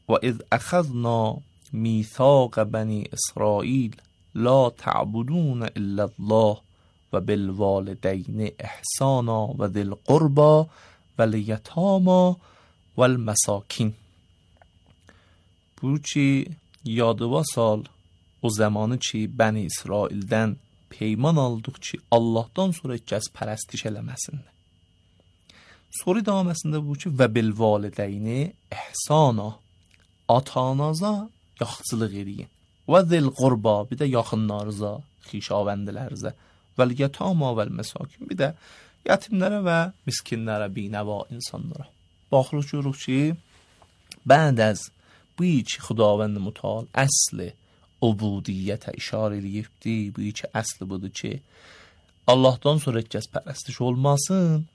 و اذ اخذنا میثاق بنی اسرائیل لا تعبدون الا الله و بالوالدین احسانا و ذی القربى و الیتامی و المساکین. Burçi yadıva sal o zamanı ki Bəni İsraildən peyman aldıq ki Allahdan sonra kəs pərəstiş eləməsinlər. Sonra davaməsində bu ki və bil valideyni ihsana, ata-anaza yaxşılıq eləyin. Və zil qurba, bir də yaxınlarınıza, xişavəndilərinizə, vəl yetama vəl məsakin, bir də yetimlərə və miskinlərə, binəva insanlara. Baxırıq görürük ki bənd az bu iki Xudavənd Mütəal əsli ubudiyyətə işarə eləyibdi. Bu iki əsli budur ki Allahdan sonra kəs pərəstiş olmasın,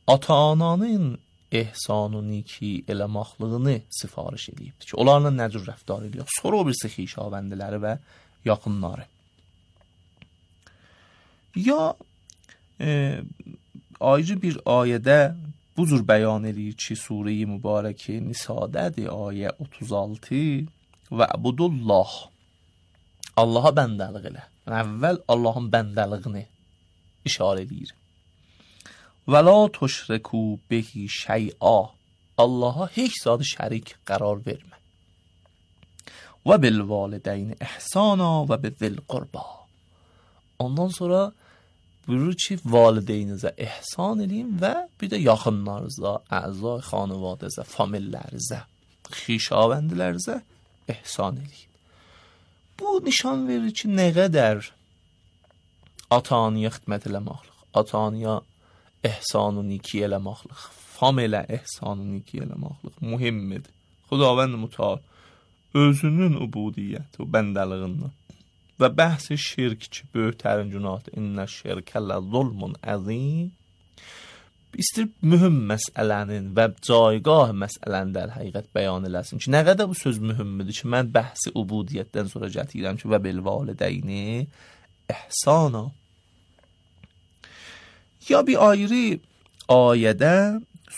ata-ananın ehsanı niki eləmaqlığını sifariş eləyibdi ki onlarla nə cür rəftar eləyək. Sonra o birisi xişavəndiləri və yaxınları. Ya ayrı bir ayədə bu cür bəyan eləyir ki Sure-i Mübarəki Nisa'dədir, ayə 36 və abudullah, Allaha bəndəlik elə. Əvvəl Allahın bəndəliyini işarə eləyir. Və la tuşriku bihi şey'a, Allaha heç zad şərik qərar vermə. Və bil valideyn ihsana və bizil qurba. Ondan sonra buyurur ki valideynizə ihsan eləyin və bir də yaxınlarınıza, əzai xanvadəzə, famillərinizə, xişavəndilərinizə ihsan eləyin. Bu nişan verir ki nə qədər ata-anaya xidmət eləməklik, ata-anaya ihsanı niki eləməklik, familə ihsanı niki eləməklik mühimdir. Xudavənd Mütəal özünün ubudiyyəti, bəndəliğindən və bəhs-i şirk ki, böyüklərin günahdır. İnnə şirkə lə zulmun əzim. İstir mühüm məsələnin və caygah məsələnin də həqiqət bəyan eləsin ki, nə qədər bu söz mühümmidir ki, mən bəhsi ubudiyyətdən sonra gətirəm ki, və bil valideyni ihsana. Ya bir ayrı ayədə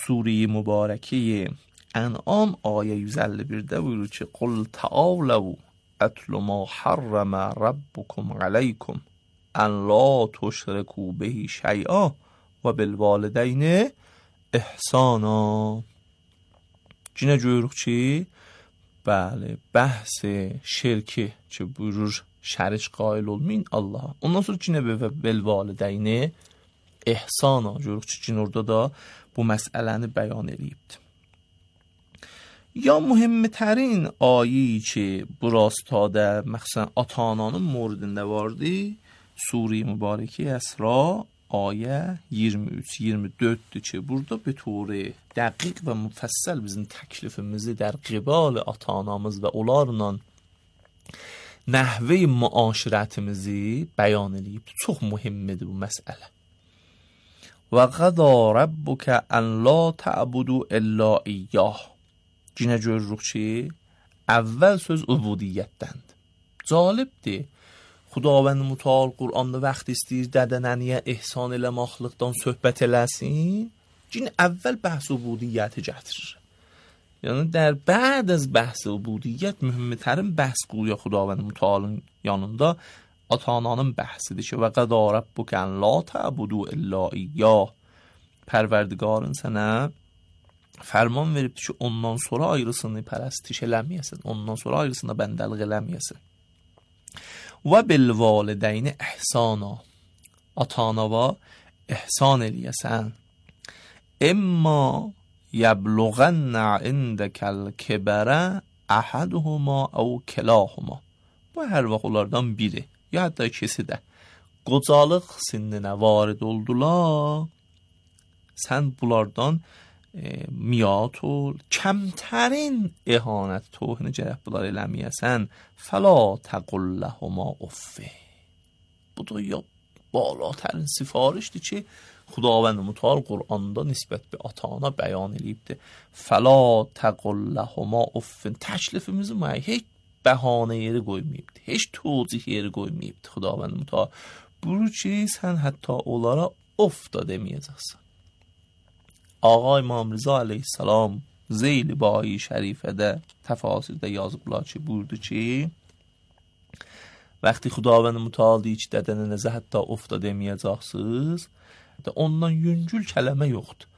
Sure-i Mübarəki Ən'am ayə 151-də buyurur ki, qul ta'aləv اتل ما حرم ربكم عليكم ان لا تشركوا به شيئا وبالوالدين احسانا. Cinə görürük ki, bəli, bəhs şirki ki, buyurur şərik qail olmayın Allaha. Ondan sonra cinə bilvalideyni ihsana görürük ki, cin orada da bu məsələni bəyan eləyibdir. Ya mühimtərin ayi ki, bu rastada məxsən ata-ananın moridində vardı, Sure-i Mübarəki Əsra ayə 23-24-dür ki, burada bir turi dəqiq və müfəssəl bizim təklifimizi در قبال ata-anamız və onlarla nəhvi müaşirətimizi bəyan eləyib. Çox mühimdir bu məsələ. Və qədə rabbukə ən la tə'budu illə iyyah. Cinə görürük ki, əvvəl söz ubudiyyətdəndir. Calibdir. Xudavənd Mütəal Qur'anda vaxt istəyir dədə-nəniyə ihsan eləməklikdən söhbət eləsin. Cin əvvəl bəhs ubudiyyəti gətirir. Yəni der بعد از bəhs ubudiyyət mühimtərin bəhs qoyuyor Xudavənd Mütəalın yanında ata-ananın bəhsidir ki, və qədə rabbukə ən la tə'budu illə iyyah. Pərverdigarın sənə fərman veribdir ki, ondan sonra ayrısını pərəstiş eləməyəsin, ondan sonra ayrısına bəndəlik eləməyəsin. Və bil valideyni ihsana, ata-anava ihsan eləyəsən. İmma yəbluğənnə indəkəl kibərə əhəduhuma əv kilahuma. Bu hər vaxt onlardan biri, ya hətta ikisi də qocalıq sinninə varid oldular, sən bunlardan miat ol, kəmtərin ihanət tohini gərək bunlar eləməyəsən, fəla təqul ləhuma uffə. Bu da ya balatərin sifarişdir ki, Xudavənd Mütəal Qur'anda nisbət bir ata-ana bəyan eləyibdir. Fəla təqul ləhuma uffə. Təklifimizi heç bəhanə yeri qoymayıbdır, heç tocih yeri qoymayıbdır Xudavənd Mütəal. Buyurur ki, sən hətta onlara of da deməyəcəksən. Ağa İmam Rıza aleyhissalam Zeyli bayi şərifədə təfasirdə yazıblar ki, buyurdu ki, vəqti Xudavənd Mütəal deyir ki, dədənənizə hətta of da deməyəcəksiniz, ondan yüngül kələmə yoxdur.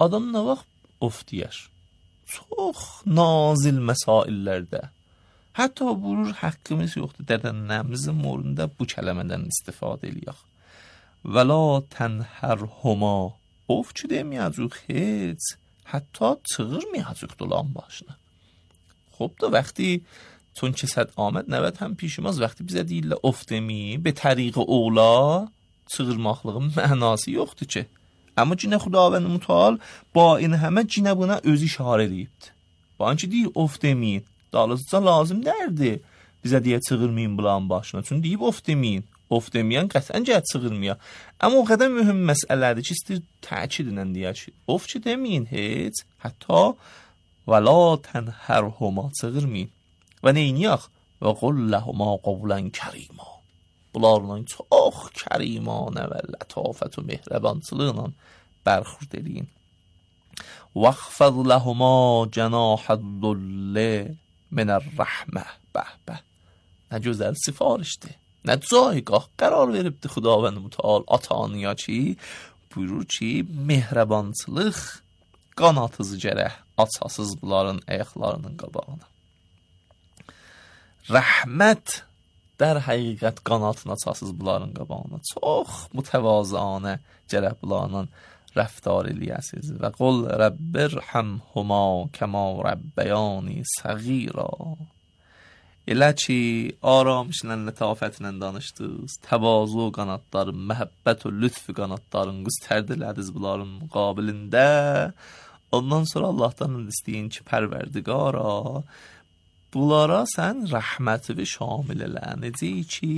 Adam nə vaxt of deyər? Çox nazil məsaillərdə. Hətta buyurur, haqqımız yoxdur, dədənlərimizin morunda bu kələmədən istifadə eləyək. Və la tənhərhuma, of ki deməyəcək heç, hətta çığırmayacaq dolan başına. Xob da vəqti چون که صد آمد 90 هم پیش ماست وقتی bize deyirlər of demeyin به طریق اولا çığırmaqlığın mənası yoxdur ki. Amma cinə Xudavənd Mütəal ba این همه cinə buna özü işarə edibdir. Ba ki deyir of demeyin. Dalızca lazım dərdi. Bizə deyə çığırmayın bulan başına. Çünki deyib of demeyin. Of deməyən qəsdən gəl çığırmaya. Amma o qədər mühüm məsələdir ki, istəyir təkid ilə deyək ki, of ki demeyin heç, hətta ولا تنهرهما çığırmayın. Və neyniyək? Və qul ləhuma qavlan kərima. Bunlarla çox kərimanə və lətafət və mehrəbançılıqla bərxurd eləyin. Vəxfəd ləhuma cənahəd-dullə minər-rəhmə. Bəh. Nə gözəl sifarişdir. Nə cayqah qərar veribdi Xudavənd Mütəal ata-anaya ki, buyurur ki, mehrəbançılıq qanatızı gərək açasız bunların ayaqlarının qabağına. Rəhmət در həqiqət qanatına açasız bunların qabağına. Çox mütəvazıanə gərək bunlarla rəftar eləyəsiniz. Və qul Rəbbirhəmhuma kəma rəbbəyani səğira. Elə ki, aramışla, lətafətlə danışdınız, təvazu qanatları, məhəbbət və lütf qanatların qüstərdilədiniz bunların müqabilində. Ondan sonra Allahdan istəyin ki, pərverdigara, bunlara sən rəhməti şamil elə. Necə ki,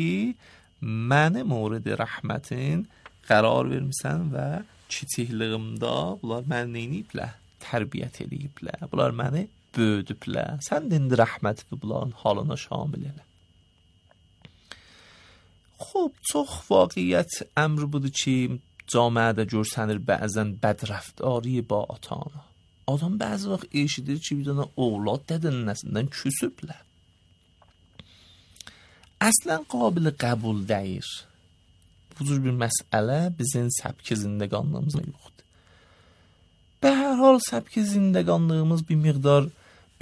məni mورد rəhmətin qərar vermisən və kiçikliyimdə bunlar məni neyniyiblər? Tərbiyyət eləyiblər. Bunlar məni böyüdüblər. Sən də indi rəhməti bunların halına şamil elə. Xob, çox vaqiyyət əmr budur ki, camiədə görsənir bəzən bədrəftari ba ata-ana. Adam bəzi vaxt eşidir ki, bir dənə oğlad dədənəsindən küsüblər. Əslən qabil qəbul deyir. Bu cür bir məsələ bizim səbki zindəqanlığımızda yoxdur. Be hər hal səbki zindəqanlığımız bir miqdar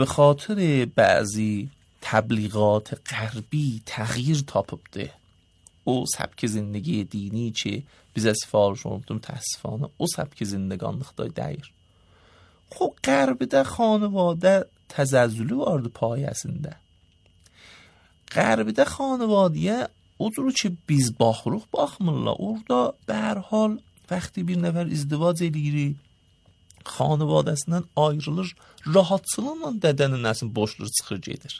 به خاطر بعضی تبلیغات غربی تغییر tapıbdı. O səbki zindگی dini ki bizə sifariş olundu mütəəssifانه o səbki zindəqanlıqda deyir. Xob Qərbidə xanəvadə təzəzzülü vardı payəsində. Qərbidə xanəvadiyə o cür ki biz baxırıq baxmırlar. Orada به هر حال وقتی bir nəfər izdivac eləyir, xanəvadəsindən ayrılır, rahatçılıqla dədənin nəsin boşluq çıxır gedir.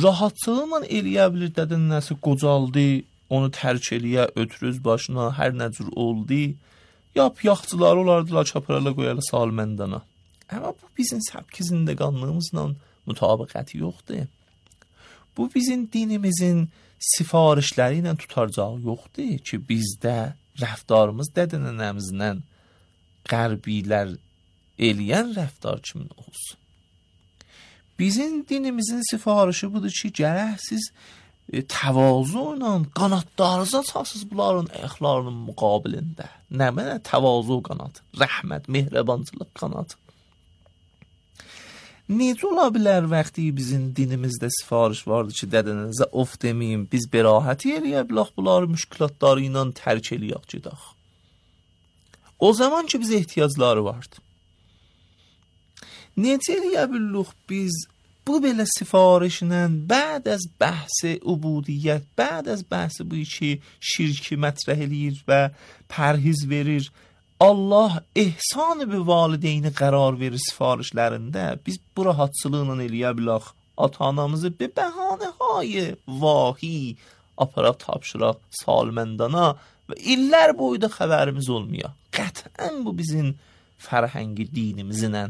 Rahatçılıqla eləyə bilir dədənin nəsi qocaldı, onu tərk eləyə, ötürüz başına, hər nə cür oldu. Yap yaxçılar olardılar, çaparala qoyarlar salməndana. Amma bu bizim səbki zindəqanlığımızla mütabiqəti yoxdur. Bu bizim dinimizin sifarişləri ilə tutacağı yoxdur ki, bizdə rəftarımız dədənənəmizlə qərbilər eləyən rəftar kimi olsun. Bizim dinimizin sifarişi budur ki, gərək siz təvazu ilə qanatlarınızı açasınız bunların ayaqlarının müqabilində. Nə mənə təvazu qanat, rəhmət, mehribançılıq qanat. Necə ola bilər vəqti bizim dinimizdə sifariş vardı ki, dədənənizə of deməyim, biz bərahəti eləyə bilək bunları müşkülatları ilə tərk eləyək gedək. O zaman ki bizə ehtiyacları vardı. Necə eləyə bilək biz bu belə sifarişlə bəd az bəhs ubudiyyət, bəd az bəhs bu ki şirki mətrəh eləyir və pərhiz verir, Allah ehsan bir valideyni qərar verir sifarişlərində, biz bu rahatçılıqla eləyə bilək ata-anamızı bir bəhanəhay vahi aparaq tapşıraq salməndana və illər boyda xəbərimiz olmuyor. Qətən bu bizim fərhəngi dinimizlə,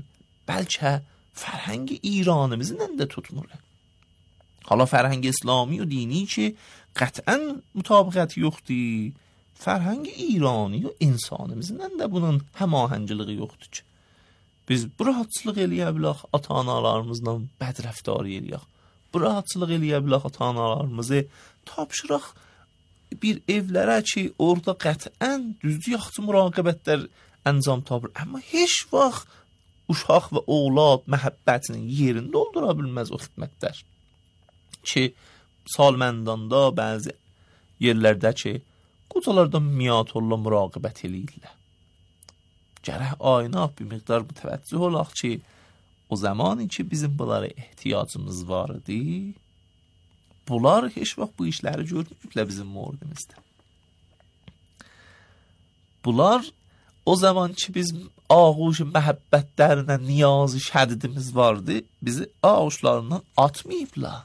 bəlkə fərhəngi İranımızla da tutmur. Hala fərhəngi İslami və dini ki qətən mütabiqəti yoxdur, Fərhəng İrani və insanımızın də bunun həmahəngiliyi yoxdur ki. Biz bu rahatçılıq eləyə bilək ata-analarımızla bədrəftar eləyək. Bu rahatçılıq eləyə bilək ata-analarımızı tapşıraq bir evlərə ki, orada qətiən düzdür yaxşı müraqibətlər əncam tapır. Amma heç vaxt uşaq və oğlad məhəbbətinin yerini doldura bilməz o xidmətlər. Ki, salməndanda bəzi yerlərdə ki, qocalardan miyatorla müraqibət eləyirlər. Gərək aynaq bir miqdar mütəvəccüh olaq ki, o zamanı ki bizim bunlara ehtiyacımız var idi, bunlar heç vaxt bu işləri görməyiblər bizim mordimizdə. Bunlar o zaman ki biz ağuş məhəbbətlərinə niyazı şədidimiz vardı, bizi ağuşlarından atmayıblar,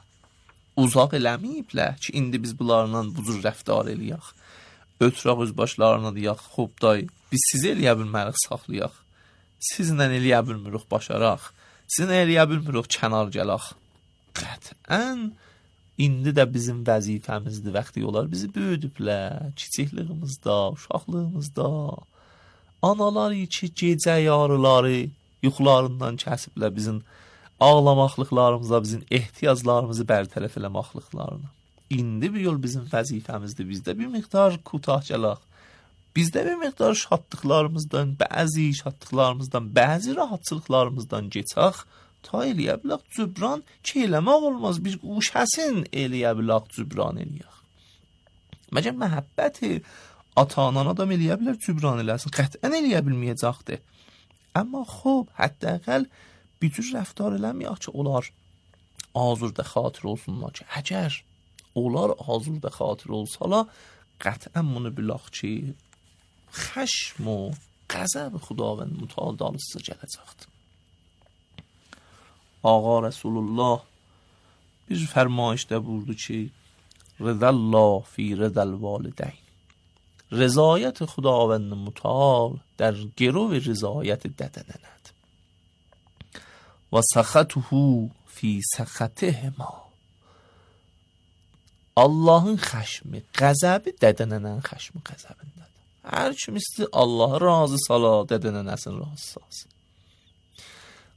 uzaq eləməyiblər ki, indi biz bunlarla bu cür rəftar eləyək. Ötürək öz başlarına deyək, xub day, biz sizi eləyə bilmərik saxlayaq, sizlə eləyə bilmirik başaraq, sizlə eləyə bilmirik kənar gələk. Qətən, indi də bizim vəzifəmizdir, vaxtı olar bizi böyüdüblər, kiçikliyimizdə, uşaqlığımızda. Analar ki, gecə yarıları yuxularından kəsiblər bizim ağlamaqlıqlarımıza, bizim ehtiyaclarımızı bərtərəf eləmaqlıqlarına. İndi bir yol bizim vəzifəmizdir, bizdə bir miqdar kutah gələk. Bizdə bir miqdar şadlıqlarımızdan, bəzi rahatçılıqlarımızdan geçək, ta eləyə bilək cübran ki, eləmək olmaz, bir uşəsin eləyə bilək cübran eləyək. Məgər məhəbbəti ata-anana da eləyə bilər cübran eləsin, qətən eləyə bilməyəcəkdir. Amma xub, hətta əqəl bir cür rəftar eləməyək ki, onlar azurda xatir olsunlar ki, əgər onlar azurda xatir olsalar, qətən bunu bilək ki, xəşm و qəzəb xudavənd mütəal dalısı gələcəkdir. Ağa Rəsulullah bir fərmayişdə buyurdu ki, rıdallah fi rıdal valideyn. Rızayət xudavənd mütəal در گرو رضایت ددنند و سخطه فی سخطهما. Allahın xəşmi, qəzəbi dədənənən xəşmi qəzəbindədir. Hər kim istəyir Allahı razı sala, dədənənəsin razı salsın.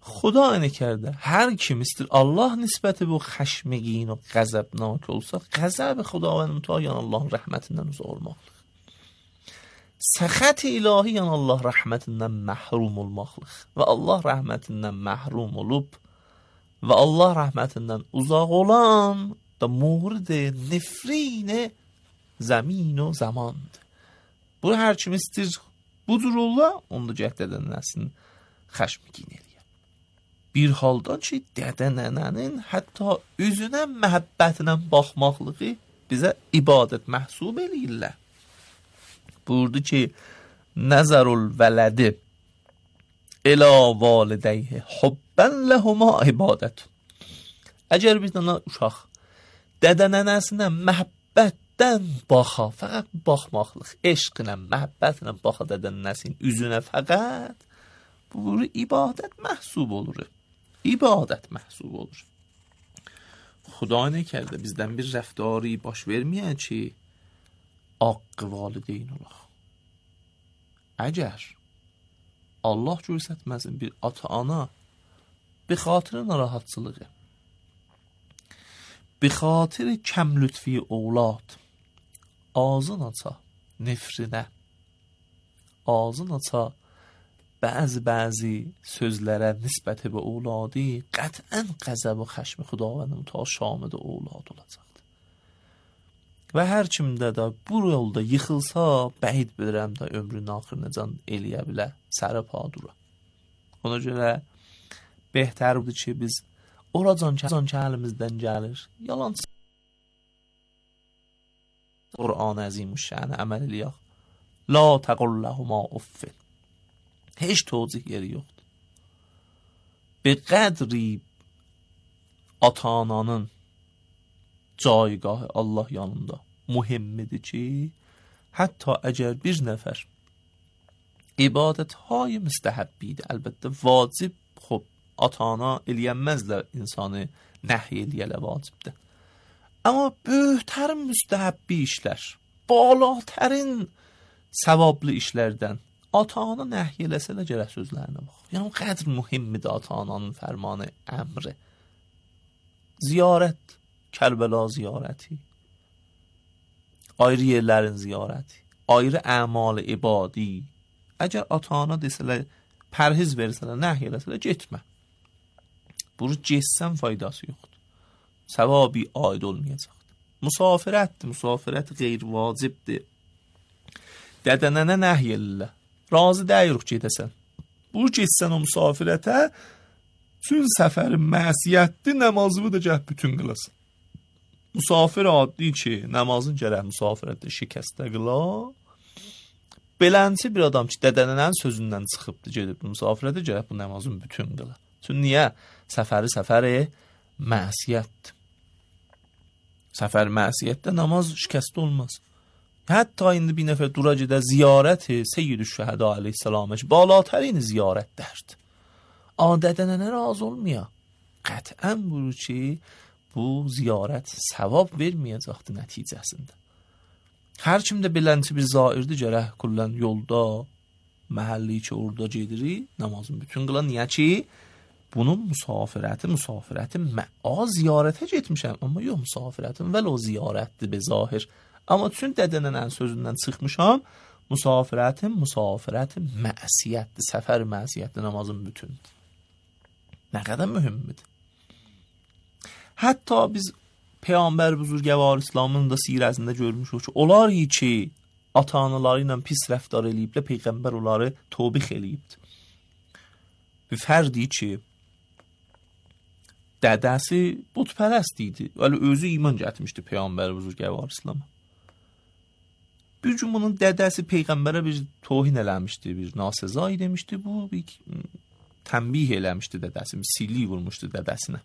Xuda nəkərdə, hər kim istəyir Allah nisbəti bu xəşmigin o qəzəbnak olsa, qəzəb xudavənd mütəal Allahın rəhmətindən uzaq olmaqdır. Səxət ilahi yəni Allah rəhmətindən məhrum olmaqlıq və Allah rəhmətindən məhrum olub və Allah rəhmətindən uzaq olan da mورد nefrin زمین و zamandır. Bu hər kim istəyir budur ola, onda dədənəsin xəşmigin eləyər. Bir halda ki, dədənənin hətta üzünə məhəbbətinə baxmaqlığı bizə ibadət məhsub eləyirlər. Buyurdu ki, nəzərul vələdi ilə validəyhi hubbən ləhuma ibadət. Əgər bir dənə uşaq dədənənəsinə məhəbbətdən baxa, fəqət baxmaqlıq, eşq ilə, məhəbbət ilə baxa dədənənəsinin üzünə fəqət, bu ibadət məhsub olur. İbadət məhsub olur. Xuda nə kərdə bizdən bir rəftari baş verməyən ki, haqqı valideyn olaq. Əgər Allah görsətməsin bir ata-ana bir xatirə narahatçılığı, bir xatir kəm lütfi oğlad ağzın aça nefrinə, ağzın aça bəzi sözlərə nisbəti və oğladı qətən qəzəb və xəşmi xudavənd mütəal şamıda oğlad olacaqdır. Və hər kimdə də bu yolda yıxılsa, bəhid bilirəm də ömrünün axırına can eləyə bilər, sərə padura. Ona görə behtərdir ki, biz oracan ki əlimizdən gəlir, yalan Qur'an əzimüşşəni əməl eləyək. La təqulləhuma uffin. Heç tozih yeri yoxdur. Bir qədri ata-ananın caygahı Allah yanında mühimmidir ki, hətta əgər bir nəfər ibadət-hay müstəhəbbidir, əlbəttə vacib, xub, ata-ana eləyənməzlər insanı nəhy eləyələ vacibdir. Amma böyüklərin müstəhəbbi işlər, balatərin savablı işlərdən ata-ana nəhy eləsələr gərək sözlərinə bax. Yəni o qədər mühümdür ata-ananın fərmanı, əmri. Ziyarət, Kərbəla ziyarəti, ayrı yerlərin ziyarəti, ayrı əmal ibadi. Əgər ata-ana desələr, pərhiz versələr, nəhy eləsələr, getmə. Bunu getsən faydası yoxdur. Səvabi aid olmayacaqdır. Musafirətdir, musafirət qeyri-vacibdir. Dədənənə nəhy ellə. Razı deyirik gedəsən. Bu getsən o musafirətə, çün səfərin məsiyyətdir, namazını da gəh bütün qılasın. Musafir adli ki, namazın gərək musafirətdə şikəstə qıla. Belənçi bir adam ki, dədənənənin sözündən çıxıbdır, gedib musafirətə gərək bu namazın bütün qıla. Çün niyə? Səfəri məsiyyətdir. Səfər məsiyyətdə namaz şikəst olmaz. Hətta indi bir nəfər dura gedə ziyarəti Seyyid-ü-Şəhədə aleyhissalamə ki, balatərin ziyarətlərdir. Dədənənə razı olmaya. Qətən buyurur ki, bu ziyarət savab verməyəcəkdir nəticəsində. Hər kimdə belənçi bir zairdir, gərək kullən yolda, məhəlli ki, orada gedirik, namazın bütün qılan. Niyə ki, bunun musafirəti ziyarətə getmişəm, amma yox, musafirətim vəl o ziyarətdir be zahir. Amma çün dədənənənin sözündən çıxmışam, musafirətim məsiyyətdir, səfər məsiyyətdir, namazın bütündür. Nə qədər mühümmidir. Hətta biz Peyğəmbər Buzurgəvar İslamın da sirəsində görmüşük ki, onlar ki, ata-anaları ilə pis rəftar eləyiblə, Peyğəmbər onları tövbih eləyibdir. Bir fərdi ki, dədəsi butpərəst idi, vəli özü iman gətirmişdi Peyğəmbər Buzurgəvar İslam'a. Bir gün bunun dədəsi Peyğəmbərə bir tohin eləmişdi, bir nasezai demişdi, bu bir tənbih eləmişdi dədəsi, bir silli vurmuşdu dədəsinə.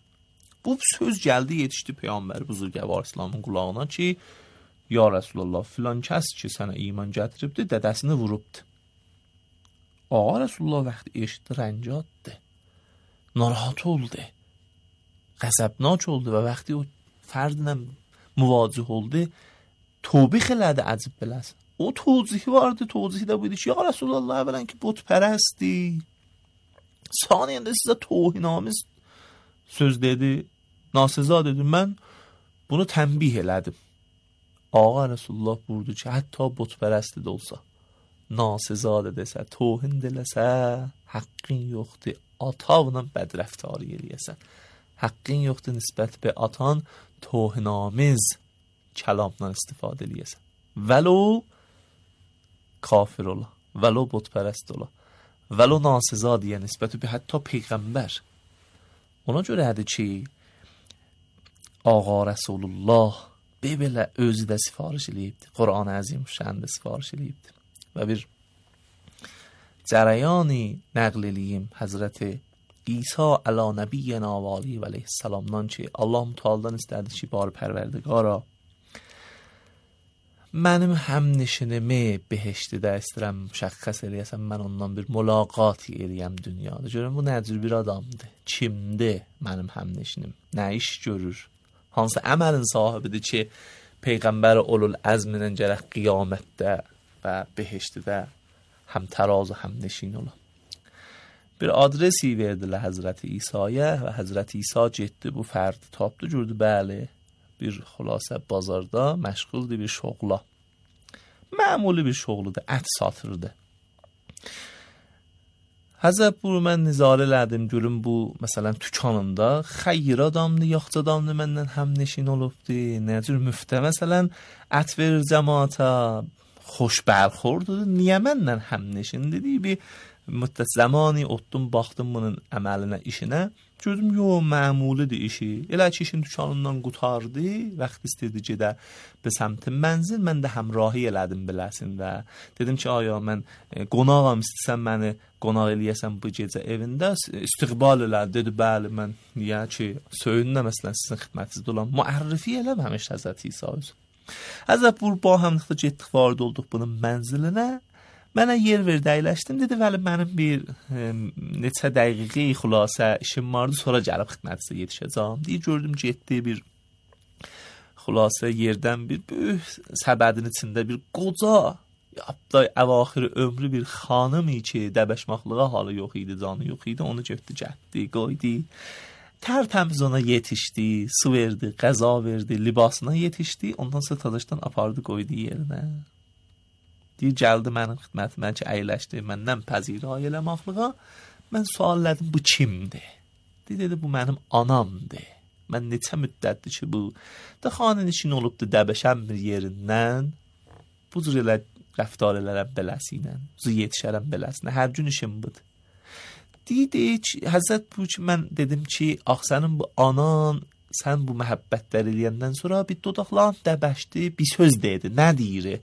Bu söz gəldi, yetişdi Peyğəmbər Buzurgəvar İslamın qulağına ki, ya Rəsulullah, filan kəs ki, sənə iman gətiribdi, dədəsini vurubdu. Ağa Rəsulullah vaxtı eşitdi, rəncaddı, narahat oldu, qəzəbnak oldu və vaxtı o fərdlə müvacih oldu, tövbih elədi, əcib beləsin. O tövzihi vardı, tövzihi də buydu ki, ya Rəsulullah, əvvələn ki, butpərəsdi, saniyəndə sizə tohinamiz söz dedi, naseza dedi, mən bunu tənbih elədim. Ağa Rəsulullah buyurdu ki, hətta butpərəsti də olsa, naseza da desə, tohin deləsə, haqqın yoxdur, atavla bədrəftarı eləyəsən. Haqqın yoxdur nisbət be atan, tohinamiz kəlamdan istifadə eləyəsən. Vəlo kafir ola, vəlo butpərəst ola, vəlo naseza deyə nisbəti be hətta Peyğəmbər. Ona görədir ki, Ağa Rəsulullah belə özü də sifariş eləyibdir. Quran-ı Əzimüşşən də sifariş eləyibdir. Və bir cərəyani nəql eləyim Həzrəti İsa əla nəbiyyənə və aleyhi və aleyhissalamdan ki, Allah-u Teala'dan istədi ki, barı pərverdigara, mənim həmnişinimi behiştidə istəyirəm, müşəxxəs eləyəsəm, mən ondan bir mülaqat eləyəm dünyada. Görün, bu nəcür bir adamdır, kimdir mənim həmnişinim, nə iş görür, hansı əməlin sahibidir ki, Peyğəmbər olul əzminin gərək qiyamətdə və behiştidə həm təraz və həm neşin ola. Bir adresi verdilər Həzrəti İsa'ya və Həzrəti İsa getdi, bu fərdi tapdı, gördü, bəli, bir xülasə bazarda məşğuldur bir şoğla. Məmuli bir şoğludur, ət satırdı. Həzrət buyur, mən nizarə elədim, görüm bu, məsələn, tükanında xeyir adamdır, yaxçı adamdır, məndən həmneşin olubdur, nəcür müftə, məsələn, ət verir cəmaata, xoş bərxordur, niyə məndən həmneşin dedi, bir müddət zamani otdum, baxdım bunun əməlinə, işinə, gördüm, məmulidir işi, elə ki, işin tükanından qutardı, vaxt istedi gedə be səmtin mənzil, mən də həmrahi elədim biləsin və dedim ki, aya, mən qonağam, istəsən məni qonaq eləyəsən bu gecə evində, istiqbal elə, dedi, bəli, mən niyə ki, söyünlə, məsələn, sizin xidmətinizdə olan müərrifi eləməmiş Həzrət İsa özü. Həzrət buyur, ba həmlikdə getdik, varid olduq bunun mənzilinə, mənə yer verdi, əyləşdim, dedi, vəli, mənim bir neçə dəqiqi xülasə işim vardı, sonra gəlib xidmətinizə yetişəcəm. Deyir, gördüm, getdi bir xülasə yerdən bir böyük səbədin içində bir qoca, Hətta əvaxir ömrü bir xanımi ki, dəbəşmaqlığa halı yox idi, canı yox idi, onu götürdü, getdi, qoydu. Tərtəmiz ona yetişdi, su verdi, qəza verdi, libasına yetişdi, ondan sonra tadaşdan apardı, qoydu yerinə. Deyir, gəldi mənim xidmətimə ki, əyləşdi, məndən pəzirəy eləmaqlığa. Mən sual elədim, bu kimdir? Dedi, bu mənim anamdır. Mən neçə müddətdir ki, bu da xanın işin olubdu, dəbəşəm bir yerindən. Bu cür elə rəftar elərəm beləsinə, bu yetişərəm beləsinə, hər gün işim budur. Deyir ki, Həzrət bu ki, mən dedim ki, sənin bu anan, sən bu məhəbbətlər eləyəndən sonra bir dodaqlarını dəbəşdi, bir söz deyirdi, nə deyir?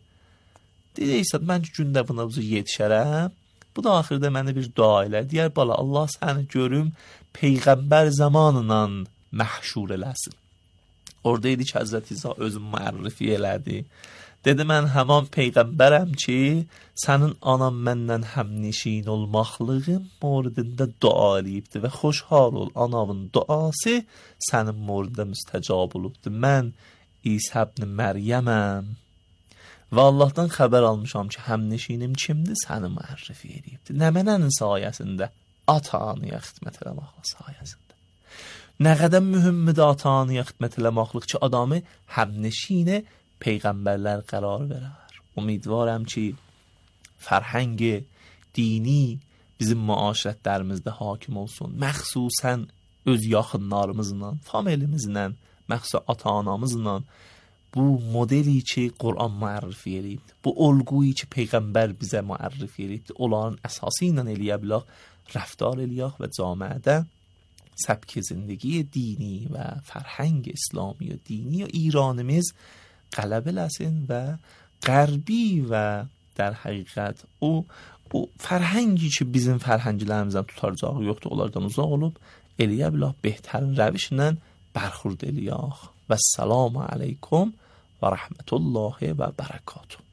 Deyir, İsa, mən ki, gündə buna bu yetişərəm. Bu da axırda mənə bir dua elə. Deyər, bala, Allah səni görüm, Peyğəmbər zamanla məhşur eləsin. Orada idi ki, Həzrət İsa özüm müərrifi elədi. Dedi, mən həman Peyğəmbərəm ki, sənin anan məndən həmnişin olmaqlığın moridində dua eləyibdir və xoşhal ol, anavın duası sənin moridində müstəcab olubdur. Mən İsa ibn Məryəməm və Allahdan xəbər almışam ki, həmnişinim kimdir, səni müərrifi eləyibdir. Nə mənənin sayəsində? Ata-anıya xidmət eləmaqlıq sayəsində. Nə qədər mühümmidir ata-anıya xidmət eləmaqlıq ki, adamı həmnişini Peyğəmbərlər qərar verər. Umidvarım ki, fərhəng dini bizim müaşirətlərimizdə hakim olsun. Məxsusən öz yaxınlarımızla, familimizlə, məxsusən ata-anamızla bu modeli ki, Qur'an müərrifi eləyibdir. Bu olguyu ki, Peyğəmbər bizə müərrifi eləyibdir. Onların əsası ilə eləyə bilək, rəftar eləyək və camiədə səbk zindagi dini və fərhəng İslami və dini və İranimiz qələbə eləsin və qərbi və در حقیقت او فرهنگی که bizim فرهنگlərimizdən tutaracağı yoxdur, onlardan uzaq olub eləyə biləq bəhtərin rəvişlə bərxurd eləyək. Və səlamu aleykum və rəhmətullahi və bərəkatuhu.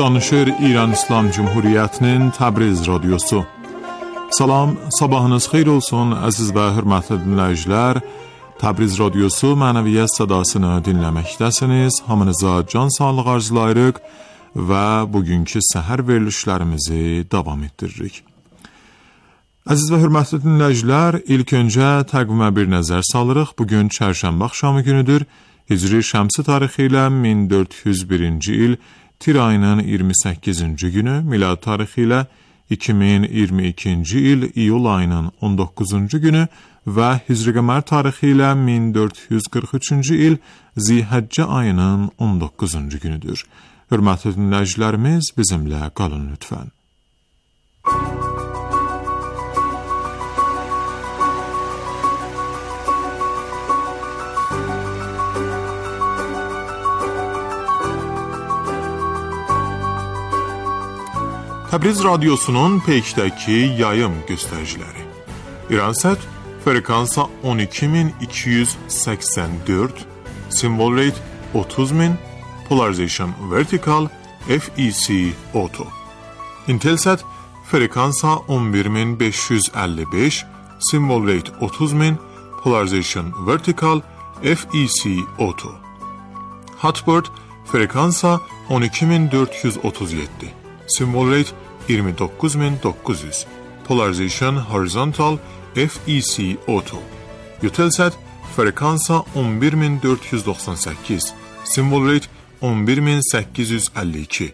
Danışır İran İslam Cumhuriyyətinin Təbriz radiosu. Salam, sabahınız xeyir olsun əziz və hörmətli dinləyicilər. Təbriz radiosu mənəviyyət sədasını dinləməkdəsiniz. Hamınıza can sağlığı arzulayırıq və bugünkü səhər verilişlərimizi davam etdiririk. Əziz və hörmətli dinləyicilər, ilk öncə təqvimə bir nəzər salırıq. Bugün çərşənbə axşamı günüdür. Hicri şəmsi tarixi ilə 1401-ci il Tir ayının 28-ci günü, milad tarixi ilə 2022-ci il iyul ayının 19-cu günü və hicri qəmər tarixi ilə 1443-cü il Zihəccə ayının 19-cu günüdür. Hörmətli dinləyicilərimiz, bizimlə qalın lütfən. Təbriz radiosunun peykdəki yayım göstəriciləri. İransət frekansa 12284, symbol rate 30000, polarization vertical, FEC auto. Intelsat frekansa 11555, symbol rate 30000, polarization vertical, FEC auto. Hotbird frekansa 12437, symbol rate 29900, polarization horizontal, FEC Auto. Eutelsat frekansa 11498, symbol rate 11852,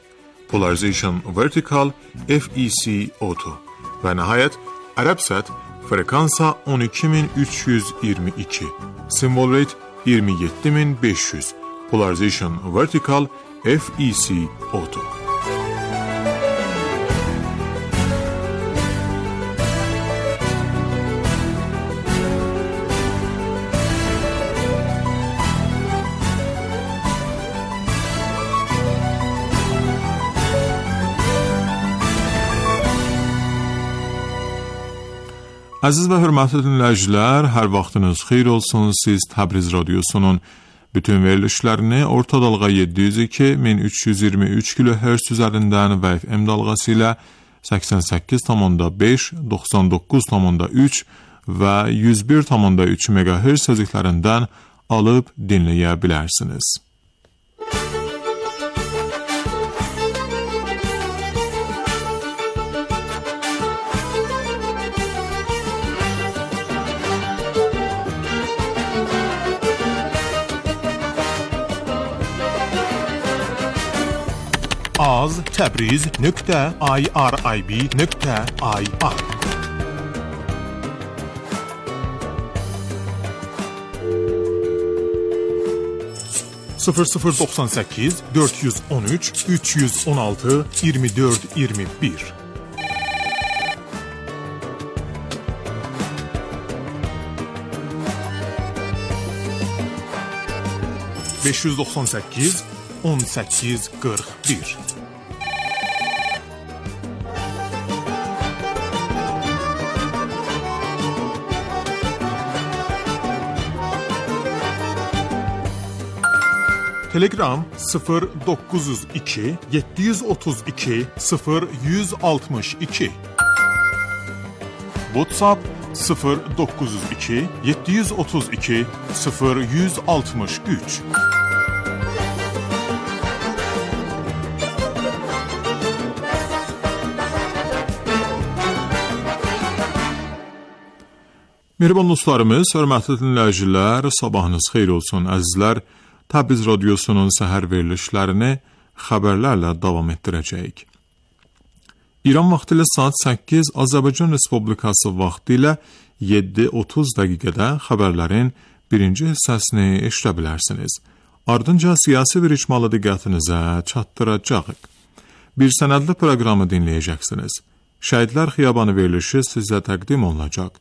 polarization vertical FEC Auto və nəhayət Arabsat frekansa 12322, symbol rate 27500, polarization vertical FEC Auto. Əziz və hörmətli dinləyicilər, hər vaxtınız xeyir olsun. Siz Təbriz Radiosunun bütün verilişlərini orta dalğa 702-1323 kHz üzərindən və FM dalğası ilə 88,5, 99,3 və 101,3 MHz sözüklərindən alıb dinləyə bilərsiniz. az.tabriz.irib.ir 0098 413 316 24 21 598 18 41 Telegram 0902 732 0162 WhatsApp 0902 732 0163 Mehriban dostlarımız, hörmətli dinləyicilər, sabahınız xeyir olsun əzizlər. Təbriz Radiosunun səhər verilişlərini xəbərlərlə davam etdirəcəyik. İran vaxtı ilə saat 8, Azərbaycan Respublikası vaxtı ilə 7:30 dəqiqədə xəbərlərin birinci hissəsini eşidə bilərsiniz. Ardınca siyasi bir icmalı diqqətinizə çatdıracağıq. Bir sənədli proqramı dinləyəcəksiniz. Şəhidlər Xiyabanı verilişi sizə təqdim olunacaq.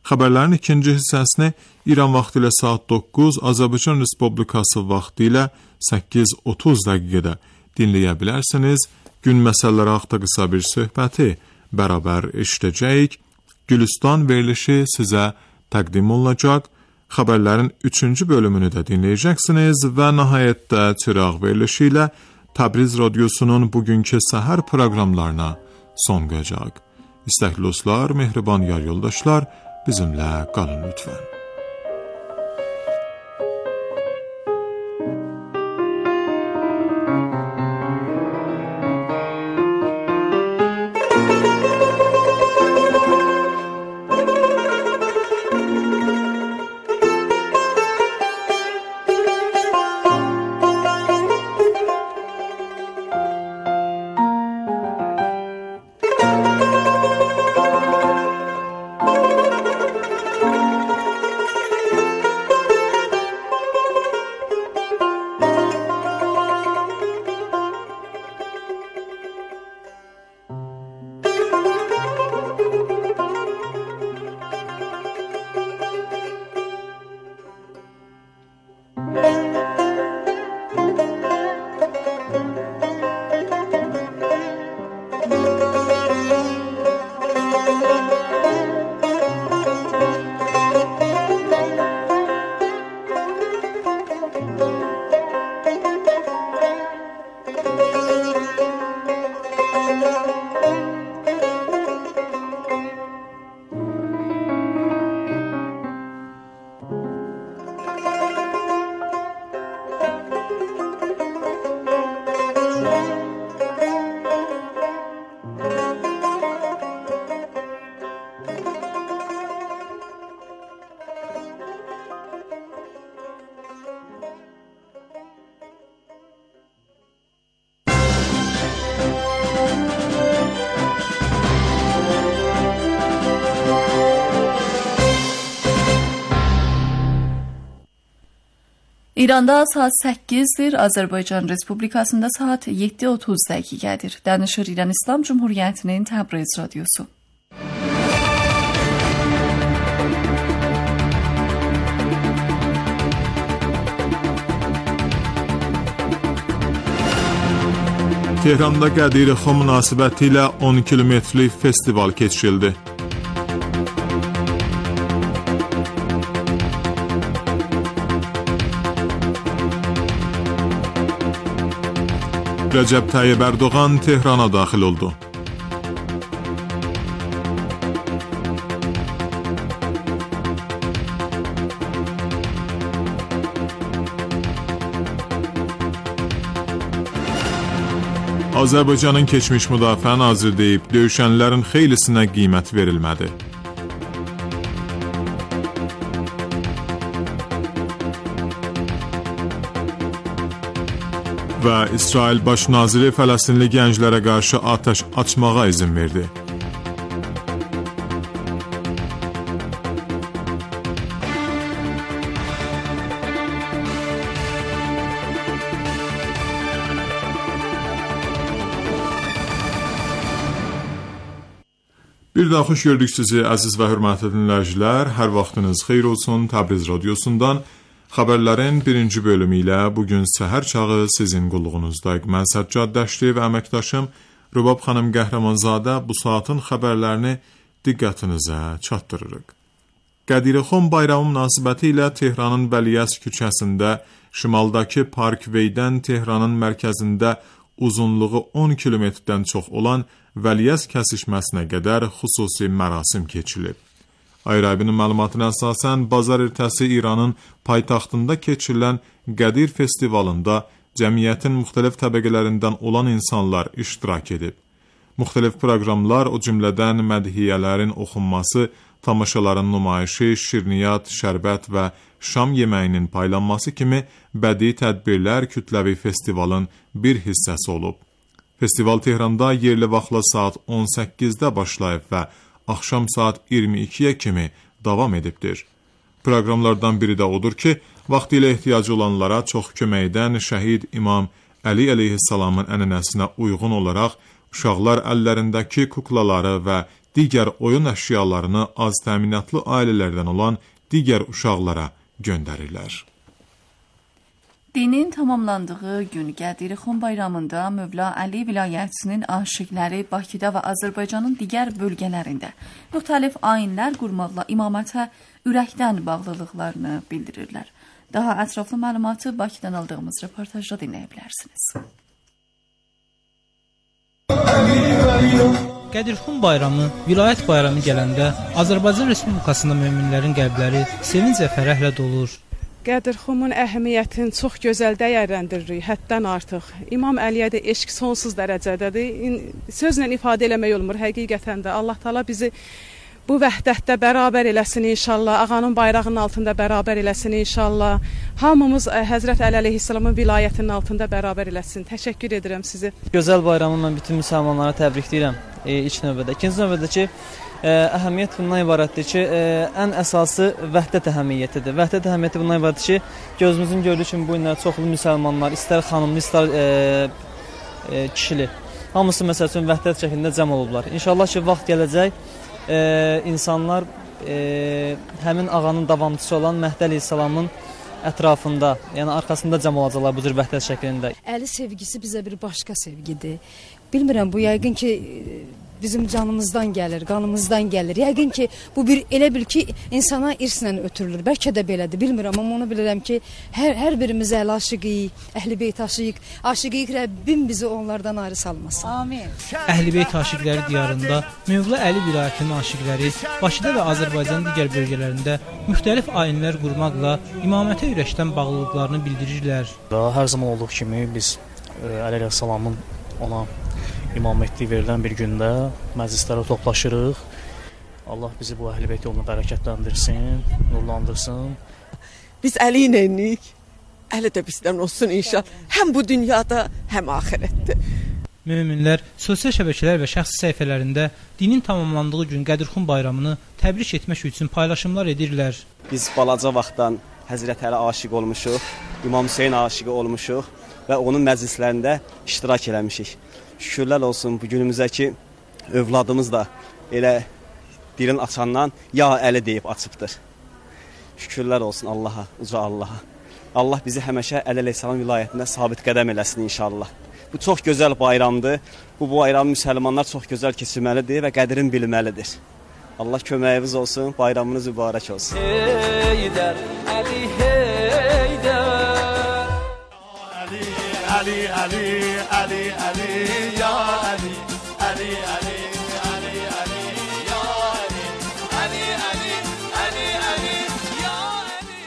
Xəbərlərin ikinci hissəsini İran vaxtı ilə saat 9, Azərbaycan Respublikası vaxtı ilə 8:30 dəqiqədə dinləyə bilərsiniz. Gün məsələləri haqqında qısa bir söhbəti bərabər eşidəcəyik. Gülüstan verilişi sizə təqdim olunacaq. Xəbərlərin 3-cü bölümünü də dinləyəcəksiniz və nəhayətdə çıraq verilişi ilə Təbriz Radiosunun bugünkü səhər proqramlarına son qoyacaq. İstəkli dostlar, mehriban yar yoldaşlar, bizimlə qalın lütfən. İranda saat 8'dir, Azərbaycan Respublikasında saat 7:30 dəqiqədir. Danışır İran İslam Cumhuriyyətinin Təbriz radiosu. Tehranda Qədirixan münasibəti ilə 10 kilometrlik festival keçirildi. Rəcəb Tayyib Erdoğan Tehrana daxil oldu. Azərbaycanın keçmiş müdafiə naziri deyib, döyüşənlərin xeylisinə qiymət verilmədi. Və İsrail baş naziri Fələstinli gənclərə qarşı atəş açmağa izin verdi. Bir daha xoş gördük sizi əziz və hörmətli dinləyicilər. Hər vaxtınız xeyir olsun. Təbriz radiosundan xəbərlərin birinci bölümü ilə bugün səhər çağı sizin qulluğunuzdayıq. Mən Səccad Dəşti və əməkdaşım Rübab xanım Qəhrəmanzadə bu saatın xəbərlərini diqqətinizə çatdırırıq. Qədirixan bayramı münasibəti ilə Tehranın Vəliyəs küçəsində, şimaldakı Parkwaydən Tehranın mərkəzində uzunluğu 10 kilometrdən çox olan Vəliyəs kəsişməsinə qədər xüsusi mərasim keçirilib. Ayrabinin məlumatına əsasən, bazar ertəsi İranın paytaxtında keçirilən Qədir festivalında cəmiyyətin müxtəlif təbəqələrindən olan insanlar iştirak edib. Müxtəlif proqramlar, o cümlədən mədhiyyələrin oxunması, tamaşaların nümayişi, şirniyyat, şərbət və şam yeməyinin paylanması kimi bədii tədbirlər kütləvi festivalın bir hissəsi olub. Festival Tehranda yerli vaxtla saat 18-də başlayıb və axşam saat 22-yə kimi davam edibdir. Proqramlardan biri də odur ki, vaxtilə ehtiyacı olanlara çox kömək edən şəhid İmam Əli əleyhissalamın ənənəsinə uyğun olaraq uşaqlar əllərindəki kuklaları və digər oyun əşyalarını az təminatlı ailələrdən olan digər uşaqlara göndərirlər. Dinin tamamlandığı gün Qədirixan bayramında Mövla Əli vilayətinin aşiqləri Bakıda və Azərbaycanın digər bölgələrində müxtəlif ayinlər qurmaqla imamətə ürəkdən bağlılıqlarını bildirirlər. Daha ətraflı məlumatı Bakıdan aldığımız reportajda dinləyə bilərsiniz. Qədirixan bayramı, vilayət bayramı gələndə Azərbaycan Respublikasında möminlərin qəlbləri sevinc və fərəhlə dolur. Qədirxanın əhəmiyyətini çox gözəl dəyərləndiririk, həddən artıq. İmam Əliyə də eşq sonsuz dərəcədədir. Sözlə ifadə eləmək olmur, həqiqətən də. Allah Taala bizi bu vəhdətdə bərabər eləsin inşallah. Ağanın bayrağının altında bərabər eləsin inşallah. Hamımız Həzrət Əli əleyhissalamın vilayətinin altında bərabər eləsin. Təşəkkür edirəm sizi. Gözəl bayramı mən bütün müsəlmanlara təbrikləyirəm ilk növbədə. İkinci növbədə ki, əhəmiyyət bundan ibarətdir ki, ən əsası vəhdət əhəmiyyətidir. Vəhdət əhəmiyyəti bundan ibarətdir ki, gözümüzün gördüyü kimi bu günlər çoxlu müsəlmanlar, istər xanımlı, istər kişili, hamısı məsəl üçün vəhdət şəklində cəm olublar. İnşallah ki, vaxt gələcək, insanlar həmin ağanın davamçısı olan Məhdi əleyhissalamın ətrafında, yəni arxasında cəm olacaqlar bu cür vəhdət şəklində. Əli sevgisi bizə bir başqa sevgidir. Bilmirəm, bu yəqin ki, bizim canımızdan gəlir, qanımızdan gəlir. Yəqin ki, bu bir elə bil ki, insana irslə ötürülür. Bəlkə də belədir, bilmirəm, amma onu bilirəm ki, hər birimiz əhl aşiqiyik, əhl-i-beyt aşiqiyik. Aşiqiyik, Rəbbim bizi onlardan ayrı salmasın. Amin. Əhl-i-beyt aşiqləri diyarında Mövla Əli vilayətinin aşiqləri Bakıda və Azərbaycanın digər bölgələrində müxtəlif ayinlər qurmaqla imamətə ürəkdən bağlılıqlarını bildirirlər. Hər zaman olduğu kimi biz Əli əleyhissalamın ona imamətliyi verilən bir gündə məclislərə toplaşırıq. Allah bizi bu əhl-i-beyt yoluna bərəkətləndirsin, nurlandırsın. Biz Əli iləyik, Əli də bizdən olsun inşallah. Həm bu dünyada, həm axirətdə. Möminlər sosial şəbəkələr və şəxsi səhifələrində dinin tamamlandığı gün Qədirixan bayramını təbrik etmək üçün paylaşımlar edirlər. Biz balaca vaxtdan Həzrət Əli aşiq olmuşuq, İmam Hüseyn aşiqi olmuşuq və onun məclislərində iştirak eləmişik. Şükürlər olsun bu günümüzə ki, övladımız da elə dilin açandan ya Əli deyib açıbdır. Şükürlər olsun Allaha, uca Allaha. Allah bizi həmişə Əli əleyhissalam vilayətində sabit qədəm eləsin inşallah. Bu çox gözəl bayramdır. Bu bayramı müsəlmanlar çox gözəl keçirməlidir və qədrini bilməlidir. Allah köməyiniz olsun, bayramınız mübarək olsun. Heydər, Əli, Heydər. Əli, Əli, Əli, Əli, Əli, ya Əli, Əli, Əli, Əli, Əli, ya Əli, Əli, Əli, Əli, Əli, ya Əli.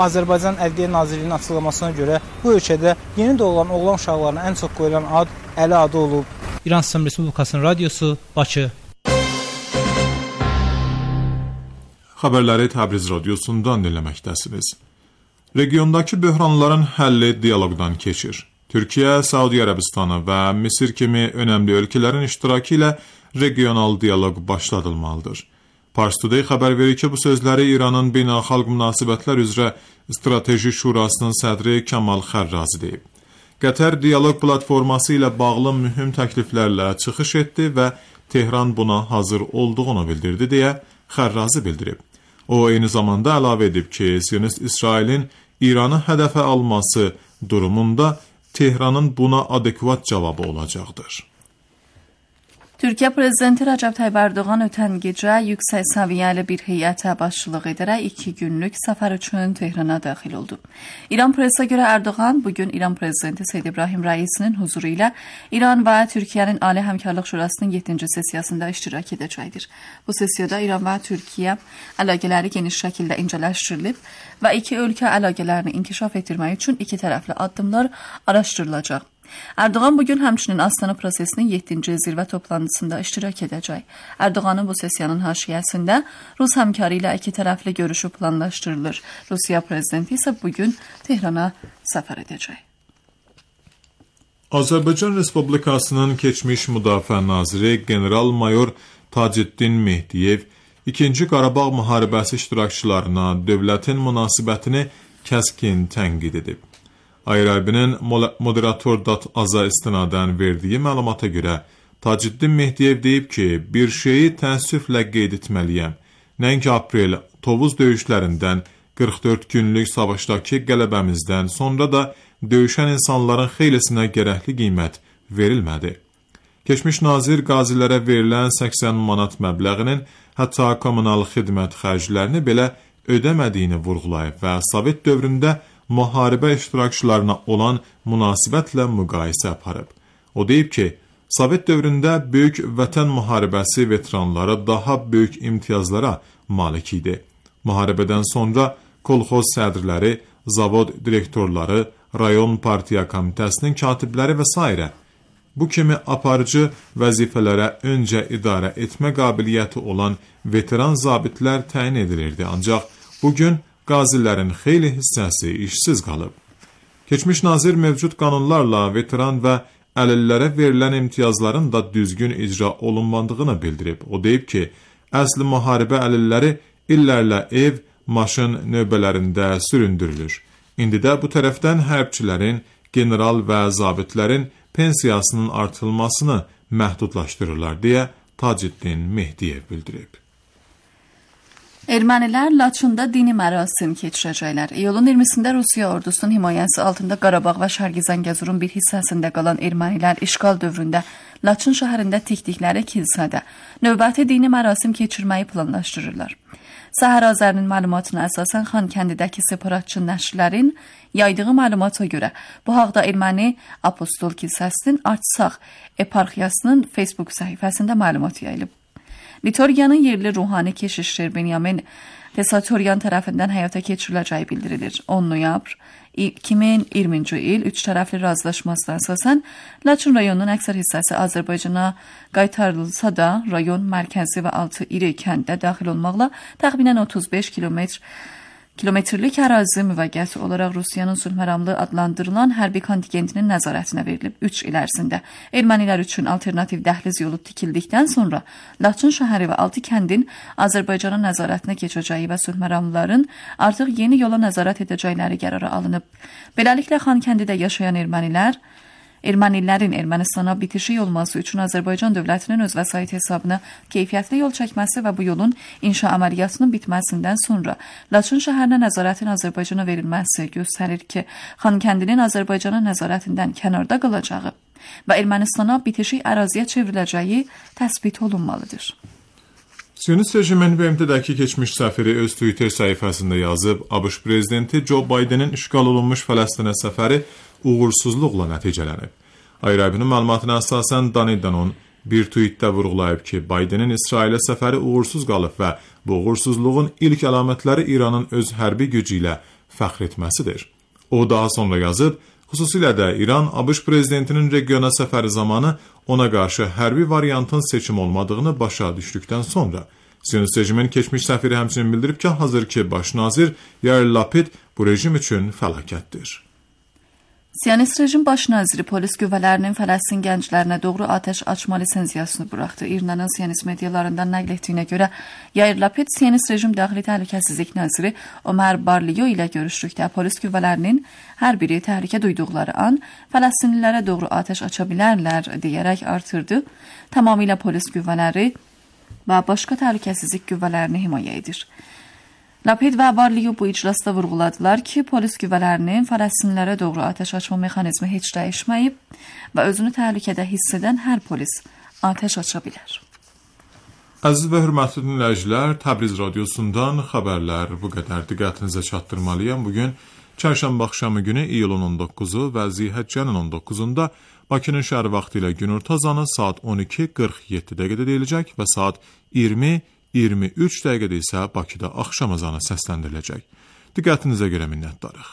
Azərbaycan Ədliyyə Nazirliyinin açıqlamasına görə bu ölkədə yeni doğulan oğlan uşaqlarına ən çox qoyulan ad Əli adı olub. İran İslam Respublikasının radiosu, Bakı. Xəbərləri Təbriz radiosundan dinləməkdəsiniz. Regiondakı böhranların həlli dialoqdan keçir. Türkiyə, Səudi Ərəbistanı və Misir kimi önəmli ölkələrin iştirakı ilə regional dialoq başladılmalıdır. Pars Today xəbər verir ki, bu sözləri İranın Beynəlxalq Münasibətlər üzrə Strateji Şurasının sədri Kamal Xərrazi deyib. Qətər dialoq platforması ilə bağlı mühüm təkliflərlə çıxış etdi və Tehran buna hazır olduğunu bildirdi deyə Xərrazi bildirib. O, eyni zamanda əlavə edib ki, Siyonist İsrailin İranı hədəfə alması durumunda Tehranın buna adekvat cavabı olacaqdır. Türkiyə Prezidenti Rəcəb Tayyib Ərdoğan ötən gecə yüksək səviyyəli bir heyətə başçılıq edərək 2 günlük səfər üçün Tehrana daxil oldu. İran presə görə Ərdoğan bugün İran Prezidenti Seyyid İbrahim Rəisinin huzuru ilə İran və Türkiyənin Ali Həmkarlıq Şurasının 7-ci sessiyasında iştirak edəcəkdir. Bu sessiyada İran və Türkiyə əlaqələri geniş şəkildə incələşdirilib və iki ölkə əlaqələrini inkişaf etdirmək üçün iki tərəfli addımlar araşdırılacaq. Ərdoğan bugün həmçinin Astana prosesinin 7-ci zirvə toplantısında iştirak edəcək. Ərdoğanın bu sessiyanın haşiyəsində Rus həmkarı ilə iki tərəfli görüşü planlaşdırılır. Rusiya prezidenti isə bugün Tehrana səfər edəcək. Azərbaycan Respublikasının keçmiş müdafiə naziri General-Mayor Taceddin Mehdiyev 2-ci Qarabağ müharibəsi iştirakçılarına dövlətin münasibətini kəskin tənqid edib. Ayrabinin moderator.az-a istinadən verdiyi məlumata görə Taceddin Mehdiyev deyib ki, bir şeyi təəssüflə qeyd etməliyəm. Nəinki aprel Tovuz döyüşlərindən 44 günlük savaşdakı qələbəmizdən sonra da döyüşən insanların xeylisinə gərəkli qiymət verilmədi. Keçmiş nazir qazilərə verilən 80 manat məbləğinin hətta kommunal xidmət xərclərini belə ödəmədiyini vurğulayıb və Sovet dövründə müharibə iştirakçılarına olan münasibətlə müqayisə aparıb. O deyib ki, Sovet dövründə böyük vətən müharibəsi veteranları daha böyük imtiyazlara malik idi. Müharibədən sonra kolxoz sədrləri, zavod direktorları, rayon partiya komitəsinin katibləri və s. bu kimi aparıcı vəzifələrə öncə idarə etmə qabiliyyəti olan veteran zabitlər təyin edilirdi. Ancaq bugün qazilərin xeyli hissəsi işsiz qalıb. Keçmiş nazir mövcud qanunlarla veteran və əlillərə verilən imtiyazların da düzgün icra olunmadığını bildirib. O deyib ki, əsli müharibə əlilləri illərlə ev, maşın növbələrində süründürülür. İndi də bu tərəfdən hərbçilərin, general və zabitlərin pensiyasının artırılmasını məhdudlaşdırırlar deyə Taceddin Mehdiyev bildirib. Ermənilər Laçında dini mərasim keçirəcəklər. İyulun 20-sində Rusiya ordusunun himayəsi altında Qarabağ və Şərqi Zəngəzurun bir hissəsində qalan ermənilər işğal dövründə Laçın şəhərində tikdikləri kilsədə növbəti dini mərasim keçirməyi planlaşdırırlar. Səhər Azərinin məlumatına əsasən Xankəndidəki separatçı nəşrlərin yaydığı məlumata görə bu haqda Erməni Apostol Kilsəsinin Artsaq eparxiyasının Facebook səhifəsində məlumat yayılıb. Liturgiyanın yerli ruhani keşişçi Benyamin Tesatoryan tərəfindən həyata keçiriləcəyi bildirilir. 10 noyabr 2020-ci il 3 tərəfli razılaşmasına əsasən Laçın rayonunun əksər hissəsi Azərbaycana qaytarılsa da, rayon mərkəzi və 6 iri kəndə daxil olmaqla təxminən 35 kilometrlik ərazi müvəqqəti olaraq Rusiyanın sülhməramlı adlandırılan hərbi kontingentinin nəzarətinə verilib. 3 il ərzində ermənilər üçün alternativ dəhliz yolu tikildikdən sonra Laçın şəhəri və 6 kəndin Azərbaycanın nəzarətinə keçəcəyi və sülhməramlıların artıq yeni yola nəzarət edəcəkləri qərarı alınıb. Beləliklə Xankəndidə yaşayan ermənilərin Ermənistana bitişik olması üçün Azərbaycan dövlətinin öz vəsait hesabına keyfiyyətli yol çəkməsi və bu yolun inşa əməliyyatının bitməsindən sonra Laçın şəhərinə nəzarətin Azərbaycana verilməsi göstərir ki, Xankəndinin Azərbaycanın nəzarətindən kənarda qalacağı və Ermənistana bitişik əraziyə çevriləcəyi təsbit olunmalıdır. Siyonist rejimin BMT-dəki keçmiş səfiri öz Twitter səhifəsində yazıb, ABŞ prezidenti Joe Bidenin işğal olunmuş Fələstinə səfəri uğursuzluqla nəticələnib. IRIB-nin məlumatına əsasən Dani Danon bir tweetdə vurğulayıb ki, Bidenin İsrailə səfəri uğursuz qalıb və bu uğursuzluğun ilk əlamətləri İranın öz hərbi gücü ilə fəxr etməsidir. O daha sonra yazıb, xüsusilə də İran ABŞ prezidentinin regiona səfəri zamanı ona qarşı hərbi variantın seçim olmadığını başa düşdükdən sonra Siyonist rejimin keçmiş səfiri həmçinin bildirib ki, hazırki baş nazir Yair Lapid bu rejim üçün fəlakətdir. Siyonist rejim baş naziri polis qüvvələrinin Fələstin gənclərinə doğru atəş açma lisenziyasını buraxdı. İranın siyonist medialarından nəql etdiyinə görə Yair Lapid siyonist rejim daxili təhlükəsizlik naziri Ömer Barliyo ilə görüşdükdə polis qüvvələrinin hər biri təhlükə duyduqları an Fələstinlilərə doğru atəş aça bilərlər deyərək artırdı. Tamamilə polis qüvvələri və başqa təhlükəsizlik qüvvələrini himayə edir. Lapid və Barliyo bu iclasda vurğuladılar ki, polis qüvvələrinin Fələstinlilərə doğru atəş açma mexanizmi heç dəyişməyib və özünü təhlükədə hiss edən hər polis atəş aça bilər. Əziz və hörmətli dinləyicilər, Təbriz radiosundan xəbərlər bu qədər diqqətinizə çatdırmalıyam. Bugün çərşənbə axşamı günü iyulun 19-u və Zilhəccənin 19-unda Bakının şəhər vaxtı ilə günorta azanı saat 12:47 dəqiqədə deyiləcək və saat 20:23 dəqiqədə isə Bakıda axşam azanı səsləndiriləcək. Diqqətinizə görə minnətdarıq.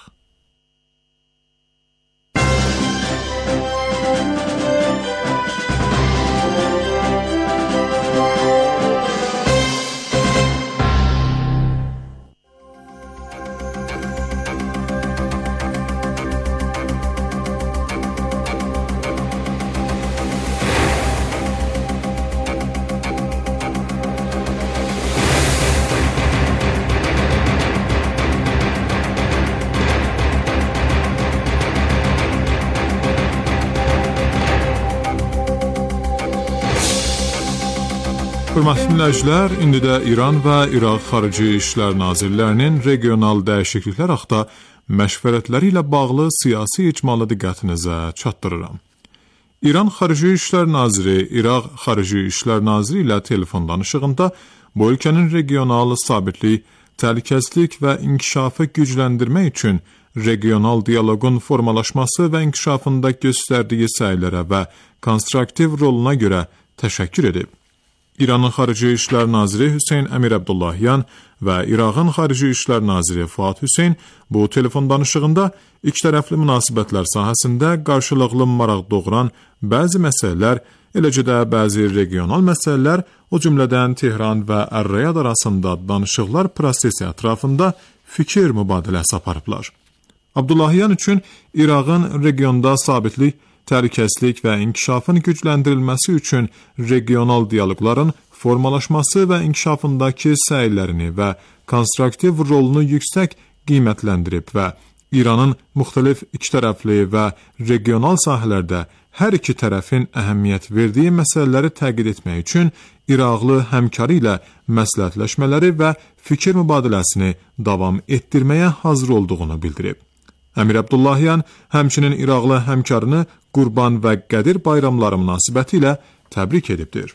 Hörmətli dinləyicilər, indi də İran və İraq Xarici İşlər Nazirlərinin regional dəyişikliklər haqqında məşvərətləri ilə bağlı siyasi icmalı diqqətinizə çatdırıram. İran Xarici İşlər Naziri İraq Xarici İşlər Naziri ilə telefon danışığında bu ölkənin regional sabitlik, təhlükəsizlik və inkişafı gücləndirmək üçün regional dialoqun formalaşması və inkişafında göstərdiyi səylərə və konstruktiv roluna görə təşəkkür edib. İranın Xarici İşlər Naziri Hüseyn Əmir Əbdullahyan və İraqın Xarici İşlər Naziri Fuad Hüseyn bu telefon danışığında ikitərəfli münasibətlər sahəsində qarşılıqlı maraq doğuran bəzi məsələlər, eləcə də bəzi regional məsələlər, o cümlədən Tehran və Ər-Riyad arasında danışıqlar prosesi ətrafında fikir mübadiləsi aparıblar. Abdullahyan üçün İraqın regionda sabitlik, təhlükəsizlik və inkişafın gücləndirilməsi üçün regional dialoqların formalaşması və inkişafındakı səylərini və konstruktiv rolunu yüksək qiymətləndirib və İranın müxtəlif ikitərəfli və regional sahələrdə hər iki tərəfin əhəmiyyət verdiyi məsələləri təqid etmək üçün İraqlı həmkarı ilə məsləhətləşmələri və fikir mübadiləsini davam etdirməyə hazır olduğunu bildirib. Əmir Əbdullahyan həmçinin İraqlı həmkarını Qurban və Qədir bayramları münasibəti ilə təbrik edibdir.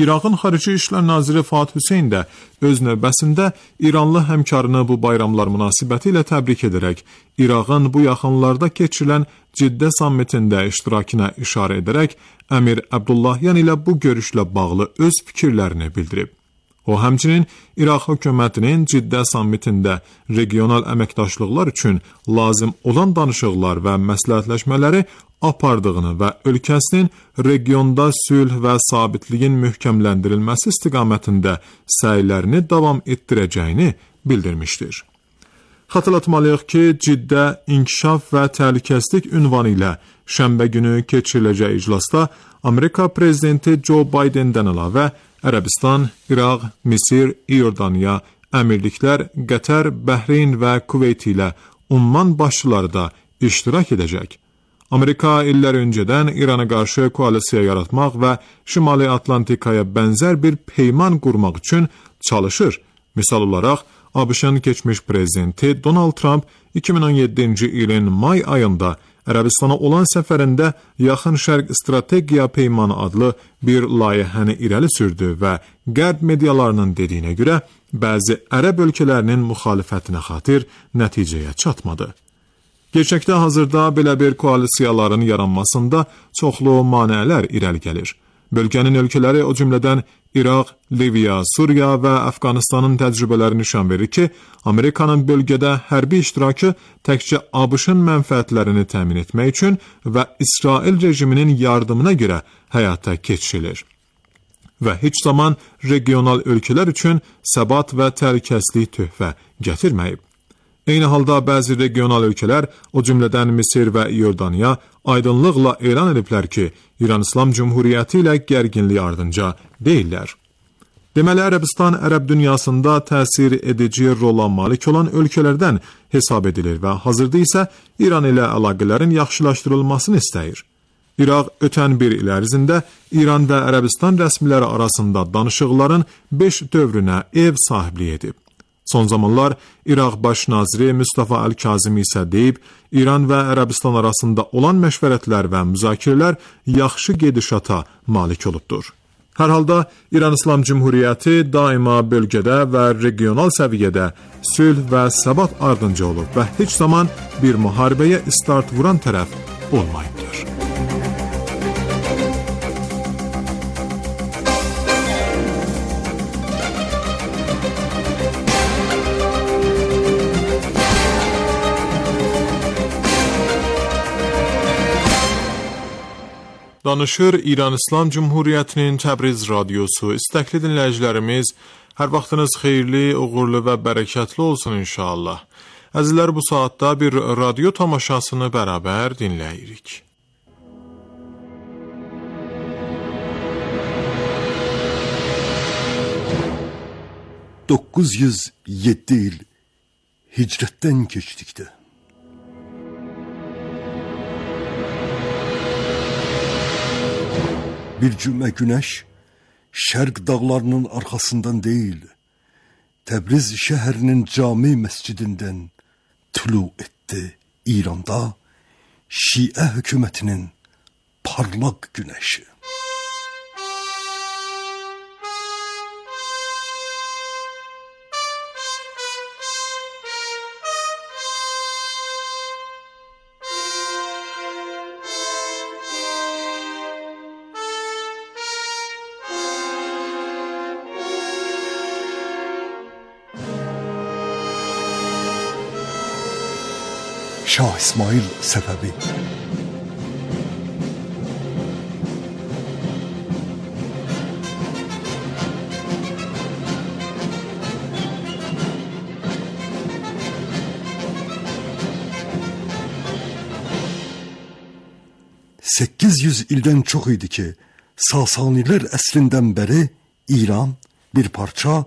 İraqın Xarici İşlər Naziri Fuad Hüseyn də öz növbəsində İranlı həmkarını bu bayramlar münasibəti ilə təbrik edərək, İraqın bu yaxınlarda keçirilən Ciddə sammitində iştirakına işarə edərək, Əmir Əbdullahyan ilə bu görüşlə bağlı öz fikirlərini bildirib. O, həmçinin İraq hökumətinin Ciddə sammitində regional əməkdaşlıqlar üçün lazım olan danışıqlar və məsləhətləşmələri apardığını və ölkəsinin regionda sülh və sabitliyin möhkəmləndirilməsi istiqamətində səylərini davam etdirəcəyini bildirmişdir. Xatırlatmalıyıq ki, Ciddə İnkişaf və Təhlükəsizlik ünvanı ilə şənbə günü keçiriləcək iclasda Amerika prezidenti Joe Biden'dən əlavə Ərəbistan, İraq, Misir, İordaniya, Əmirliklər, Qətər, Bəhreyn və Kuveyt ilə umman başçıları da iştirak edəcək. Amerika illər öncədən İrana qarşı koalisiya yaratmaq və Şimali Atlantikaya bənzər bir peyman qurmaq üçün çalışır. Misal olaraq, ABŞ-ın keçmiş prezidenti Donald Trump 2017-ci ilin may ayında Ərəbistana olan səfərində Yaxın Şərq Strategiya Peymanı adlı bir layihəni irəli sürdü və Qərb medialarının dediyinə görə bəzi ərəb ölkələrinin müxalifətinə xatir nəticəyə çatmadı. Gerçəkdə hazırda belə bir koalisiyaların yaranmasında çoxlu maneələr irəli gəlir. Bölgənin ölkələri, o cümlədən İraq, Liviya, Suriya və Əfqanistanın təcrübələri nişan verir ki, Amerikanın bölgədə hərbi iştirakı təkcə ABŞ-ın mənfəətlərini təmin etmək üçün və İsrail rejiminin yardımına görə həyata keçirilir və heç zaman regional ölkələr üçün səbat və təhlükəsizlik töhfə gətirməyib. Eyni halda bəzi regional ölkələr, o cümlədən Misir və İordaniya, aydınlıqla elan ediblər ki, İran İslam Cümhuriyyəti ilə gərginlik ardınca deyirlər. Deməli, Ərəbistan ərəb dünyasında təsir edici rola malik olan ölkələrdən hesab edilir və hazırda isə İran ilə əlaqələrin yaxşılaşdırılmasını istəyir. İraq ötən bir il ərzində İran və Ərəbistan rəsmiləri arasında danışıqların 5 dövrünə ev sahibliyi edib. Son zamanlar İraq baş naziri Mustafa Əl-Kazimi isə deyib, İran və Ərəbistan arasında olan məşvərətlər və müzakirələr yaxşı gedişata malik olubdur. Hər halda İran İslam Cümhuriyyəti daima bölgədə və regional səviyyədə sülh və səbat ardınca olub və heç zaman bir müharibəyə start vuran tərəf olmayıbdır. Danışır İran İslam Cümhuriyyətinin Təbriz radiosu. İstəkli dinləyicilərimiz, hər vaxtınız xeyirli, uğurlu və bərəkətli olsun inşallah. Əzizlər, bu saatda bir radio tamaşasını bərabər dinləyirik. ...907 il hicrətdən keçdikdə. Bir cümə günəş şərq dağlarının arxasından deyil, Təbriz şəhərinin cami məscidindən tulu etdi İranda Şiə hökumətinin parlaq günəşi. Şah İsmail Səfəvi. ...800 ildən çox idi ki, Sasanilər əsrindən bəri İran bir parça,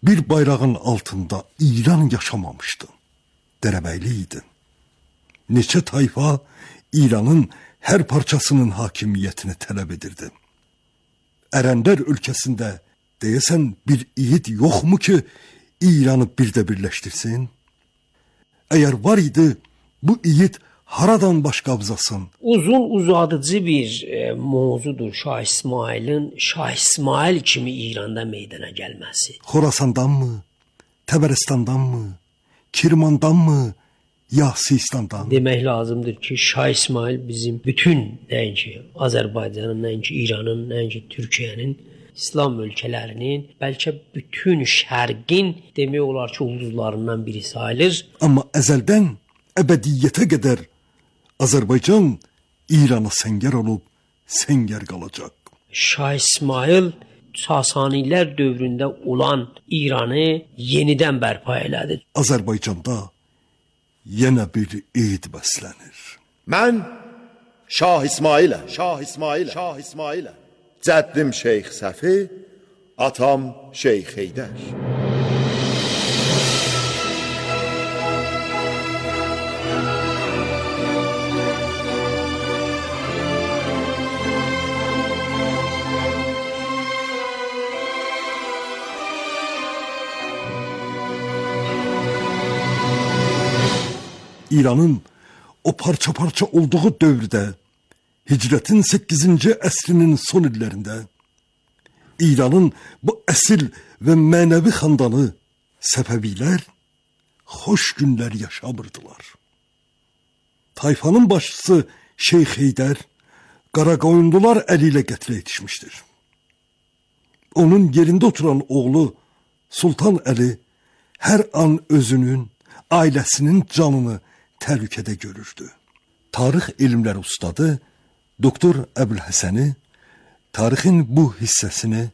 bir bayrağın altında İran yaşamamışdı. Dərəbəyli idi. Neçə tayfa İranın hər parçasının hakimiyyətini tələb edirdi. Ərəndər ölkəsində deyəsən bir yiğit yoxmu ki, İranı bir də birləşdirsin? Əgər var idi, bu yiğit haradan baş qabzasın? Uzun uzadıcı bir mövzudur Şah İsmailin Şah İsmail kimi İranda meydana gəlməsi. Xorasandanmı? Təbərəstandanmı? Kirmandanmı? Ya Sistandan. Demək lazımdır ki, Şah İsmail bizim bütün nəinki Azərbaycanın, nəinki İranın, nəinki Türkiyənin, İslam ölkələrinin, bəlkə bütün şərqin demək olar ki, ulduzlarından biri sayılır. Amma əzəldən əbədiyyətə qədər Azərbaycan İrana səngər olub, səngər qalacaq. Şah İsmail Sasanilər dövründə olan İranı yenidən bərpa elədi. Azərbaycanda yenə bir eid bəslənir. Mən Şah İsmailəm. Cəddim Şeyx Səfi, atam Şeyx Heydər. İranın o parça-parça olduğu dövrdə, Hicrətin 8-ci əsrinin son illərində İranın bu əsil və mənəvi xandanı Səfəvilər xoş günlər yaşamırdılar. Tayfanın başçısı Şeyx Heydər Qaraqoyunlular əli ilə qətlə yetişmişdir. Onun yerində oturan oğlu Sultan Əli hər an özünün, ailəsinin canını təhlükədə görürdü. Tarix elmləri ustadı Doktor Əbülhəsəni tarixin bu hissəsini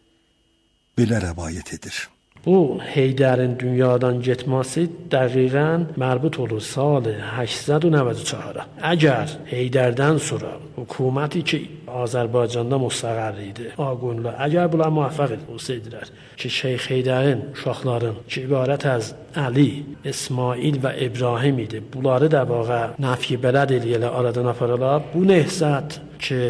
belə rəvayət edir. Bu Heydərin dünyadan getməsi dəqiqən mərbut olur sal 894-a. Əgər Heydərdən sonra hökuməti ki Azərbaycanda müstəqil idi, Ağqoyunlular, əgər bunlar müvəffəq olsaydilər ki Şeyx Heydərin uşaqların ki ibarət az Əli, İsmail və İbrahim idi, bunları da vaqa nəfi bələd eləyələ aradan aparılar, bu nəhzət ki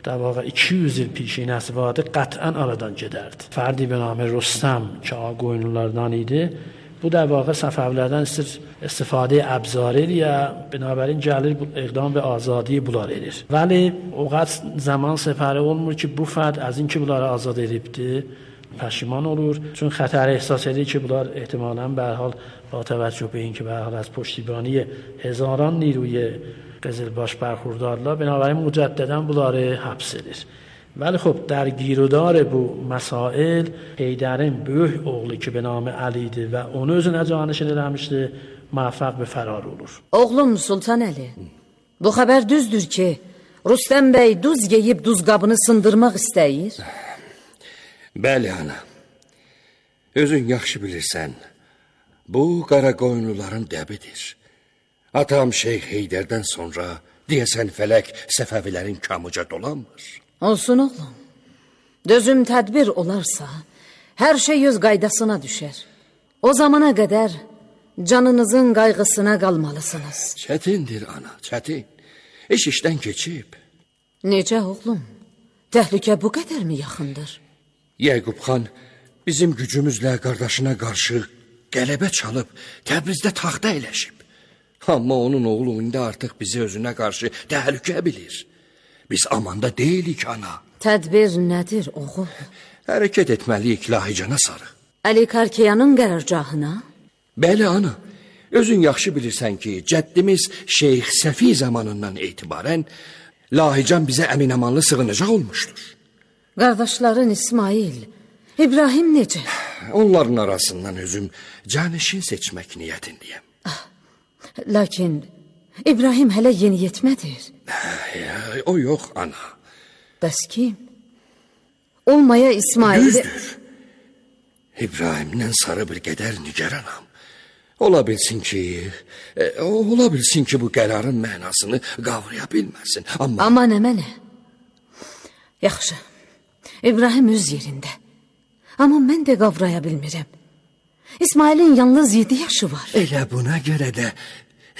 در واقع 200 il پیشینه vardı قطعا aradan gedərdi. Fərdi bir nami Rüstəm ki Ağqoyunlulardan idi. Bu در واقع Səfəvilərdən istifadə əbzar edir, binabərin gəlir iqdam və azadi bunlar edir. Vəli o qədər zaman səfəri olmur ki bu fərd az اینکه bunları azad edibdi پشیمان olur. چون خطر احساس edir ki bunlar ehtimalən به هر حال با توجه به اینکه به هر حال از پشتیبانی هزاران نیروی قزلباش برخوردارlar بنابراین مجددا bunları həbs edir. ولی خب در گیرودار bu مسائل Heydərin böyük oğlu ki به نام علی idi və onu özünə canişin eləmişdi, müvəffəq bir fərar olur. Oğlum Sultan Əli, bu xəbər düzdür ki Rüstəm bəy duz yeyib duz qabını sındırmaq istəyir? Bəli ana. Özün yaxşı bilirsən. Bu Qaraqoyunluların dəbidir. Atam Şeyx Heydərdən sonra deyəsən fələk Səfəvilərin kamuca dolanmır. Olsun oğlum. Dözüm tədbir olarsa, hər şey öz qaydasına düşər. O zamana qədər canınızın qayğısına qalmalısınız. Çətindir ana, çətin. İş işdən keçib. Necə oğlum? Təhlükə bu qədər mi yaxındır? Yəqub xan bizim gücümüzlə qardaşına qarşı qələbə çalıb Təbrizdə taxta eləşib. Amma onun oğlu indi artıq bizi özünə qarşı təhlükə bilir. Biz amanda deyilik ana. Tədbir nədir oğul? Hərəkət etməliyik Lahicana sarı. Əli Karkiyanın qərargahına? Bəli ana. Özün yaxşı bilirsən ki, cəddimiz Şeyx Səfi zamanından etibarən Lahican bizə əminamanlı sığınacaq olmuşdur. Qardaşların İsmail, İbrahim necə? Onların arasından özüm canişin seçmək niyyətindəyəm. Lakin İbrahim hələ yeni yetmədir. O yox ana. Bəs kim? Olmaya İsmail... Düzdür. İbrahimdən sarı bir qədər nigaranam. Ola bilsin ki bu qərarın mənasını qavraya bilməsin. Amma nə mənə? Yaxşı. İbrahim öz yerində. Amma mən də qavraya bilmirəm. İsmailin yalnız 7 yaşı var. Elə buna görə də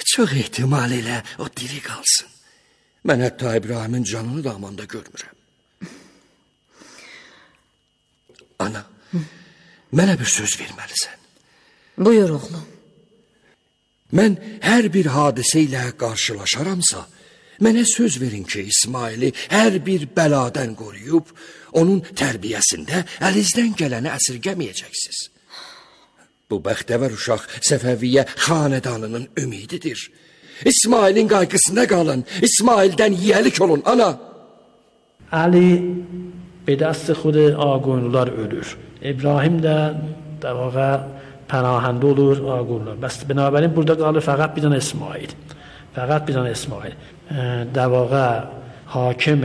çox ehtimal elə o diri qalsın. Mən hətta İbrahimin canını da amanda görmürəm. Ana, mənə bir söz verməlisən. Buyur oğlum. Mən hər bir hadisə ilə qarşılaşaramsa, mənə söz verin ki, İsmaili hər bir bəladan qoruyub, onun tərbiyəsində əlinizdən gələni əsirgəməyəcəksiniz. Bu bəxtəvər uşaq Səfəviyyə xanədanının ümididir. İsmailin qayğısına qalın, İsmaildən yiyəlik olun, ana. Ali به دست خود آگونلار ölür. İbrahim də dəvaqa pənahəndə olur Ağqoyunlular. Bəs binabərin burada qalır fəqət bir dənə İsmail. Fəqət bir dənə İsmail. Dəvaqa حاکم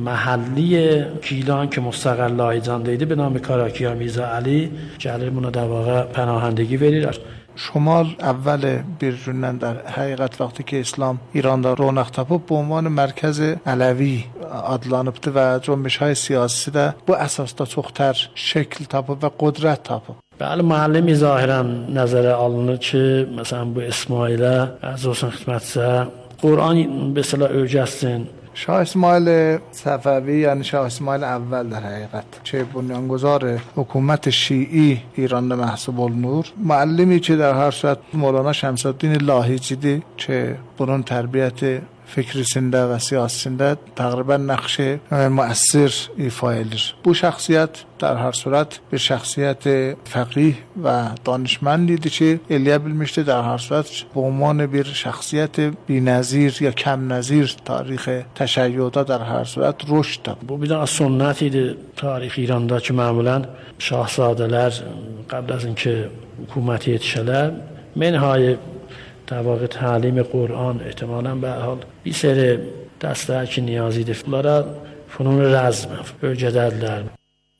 محلی گیلان که مستقل لایجانده ایده به نام کاراکیا میرزا علی جلیمون در واقع پناهندگی verirler. شمال اول بیرونن در حقیقت وقتی که اسلام ایراندا رونق تاپıb به عنوان مرکز علوی adlanıbdı və cəmiyyət siyasi də bu əsasda çoxtər şəkil tapıb və qüdrət tapıb. بله معلمی ظاهرا نظر alınır ki, məsələn bu İsmailə əziz olsun xidmətçisə Qur'an به اصطلاح öyrətsin. شاه اسماعیل صفوی یعنی شاه اسماعیل اول در حقیقت که بنیانگذار حکومت شیعی ایرانda محسوب olunur. معلمی که در هر صورت مولانا شمس الدین لاهیجیdir که bunun tərbiyəti fikrisində və siyasətində təqribən nəqşi müəssir ifa edir. Bu şəxsiyyət در هر صورت bir şəxsiyyət fəqih və danışmand idi ki, eləyə bilmişdi در هر صورت به عنوان bir şəxsiyyət بی‌نظیر یا کم نظیر تاریخ تشیع‌da در هر صورت رشد داد. Bu bir də sünnət idi tarix İranda ki, məmulən şahzadələr qəbl az اینکه hökumət yetişələr منهای در واقع تعلیم قرآن احتمالاً به حال bir seri dəstələr ki, niyaz idi. Bunlara funun rəzm öyrədərlər.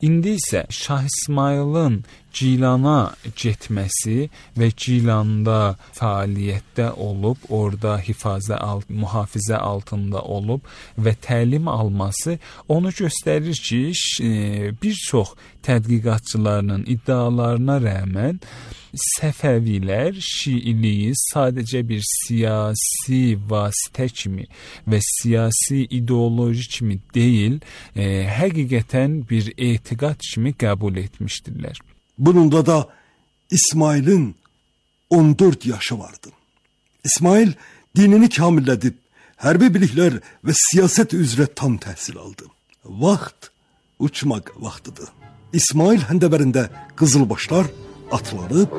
İndi isə Şah İsmayılın Gilana getməsi və Gilanda fəaliyyətdə olub, orada mühafizə altında olub və təlim alması onu göstərir ki, bir çox tədqiqatçıların iddialarına rəğmən Səfəvilər Şiiliyi sadəcə bir siyasi vasitə kimi və siyasi ideoloji kimi deyil, həqiqətən bir etiqad kimi qəbul etmişdirlər. Bununla da İsmail'in 14 yaşı vardı. İsmail dinini kamillədib, hərbi biliklər və siyasət üzrə tam təhsil aldı. Vaxt uçmaq vaxtıdır. İsmail həndəvərində qızılbaşlar atlanıb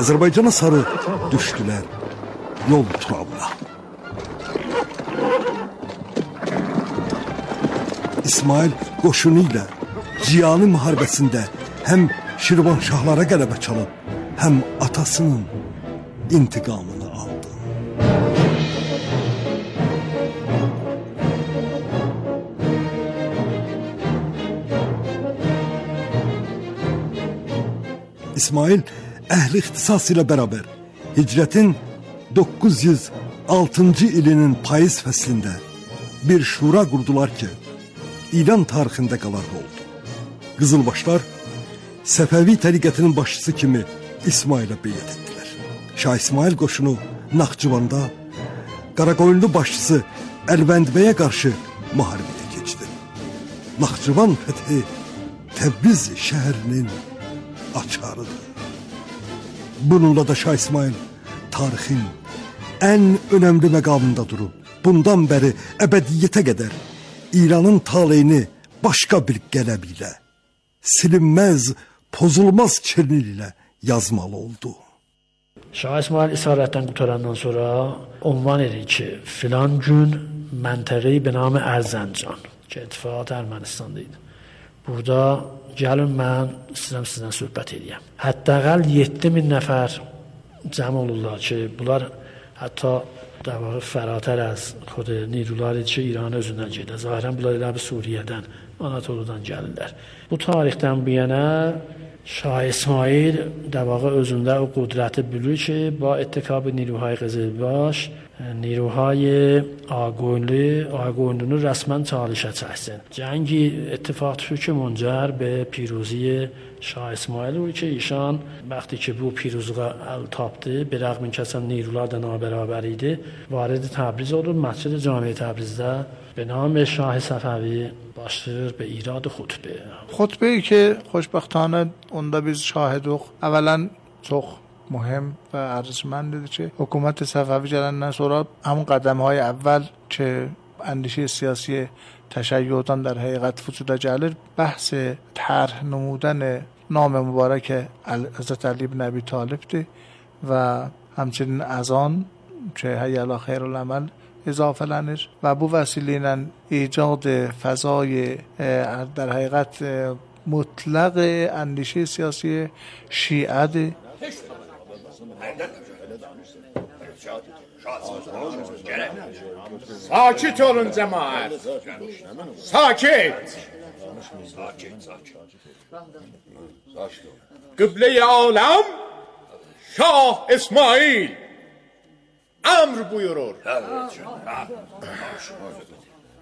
Azərbaycana sarı düşdülər yol turabına. İsmail qoşunu ilə Ciyani müharibəsində həm Şirvanşahlara qələbə çalıb, həm atasının intiqamını aldı. İsmail əhli ixtisas ilə bərabər hicrətin 906-cı ilinin payız fəslində bir şura qurdular ki, İran tarixində qalarlı oldu. Qızılbaşlar Səfəvi təriqətinin başçısı kimi İsmailə beyət etdilər. Şah İsmail qoşunu Naxçıvanda Qaraqoyunlu başçısı Əlvəndbəyə qarşı müharibəyə keçdi. Naxçıvan fəthi Təbriz şəhərinin açarıdır. Bununla da Şah İsmail tarixin ən önəmli məqamında durub, bundan bəri əbədiyyətə qədər İranın taleyini başqa bir qələb ilə, silinməz, pozulmaz çirnil ilə yazmalı oldu. Şah İsmail isarətdən qutarandan sonra ünvan edir ki, filan gün məntəqəyi be nam Ərzəncan ki, ittifaqat Ermənistanda idi. Burada gəlin mən sizdən söhbət edeyim. Həttəqəl 7000 nəfər cəm olurlar ki, bunlar hətta در واقع فراتر از خود نیروları ki, İran özündən gedir. Zahirən bunlar elə bir Suriyədən, Anatoludan gəlirlər. Bu tarixdən bu yana Şah İsmail در واقع özündə o qudrəti bilir ki, با اتکاب نیروهای قزلباش نیروهای آگوینلو رسما چالشə çəksin. Cəngi اتفاق شد که منجر به پیروزی Şah İsmail بود که ایشان وقتی که bu پیروزluğa əl tapdı, bir rəğm kəsən نیروlar da nabərabər idi, vارد تبریز olur. مسجد جامع تبریزdə به نام شاه صفوی başlayır به ایراد خطبه. خطبه‌ای که خوشبختانه onda biz şahiduq. Əvvələn çox mühüm və ارزشمندdir ki, hökumət Səfəvi gələndən sonra همون qədəmهای əvvəl ki, اندیشه سیاسی تشیع‌dan در حقیقت وجود gəlir, بحث طرح نمودن نام مبارک حضرت علی بن ابی طالبdir və همچنین اذان که حی علی خیرالعمل اضافه‌lənir və bu vəsilə ilə ایجاد فضای در حقیقت مطلق اندیشه سیاسی شیعه Sakit olun cemaat. Sakit. Kıble-i alem Şah İsmail emr buyurur.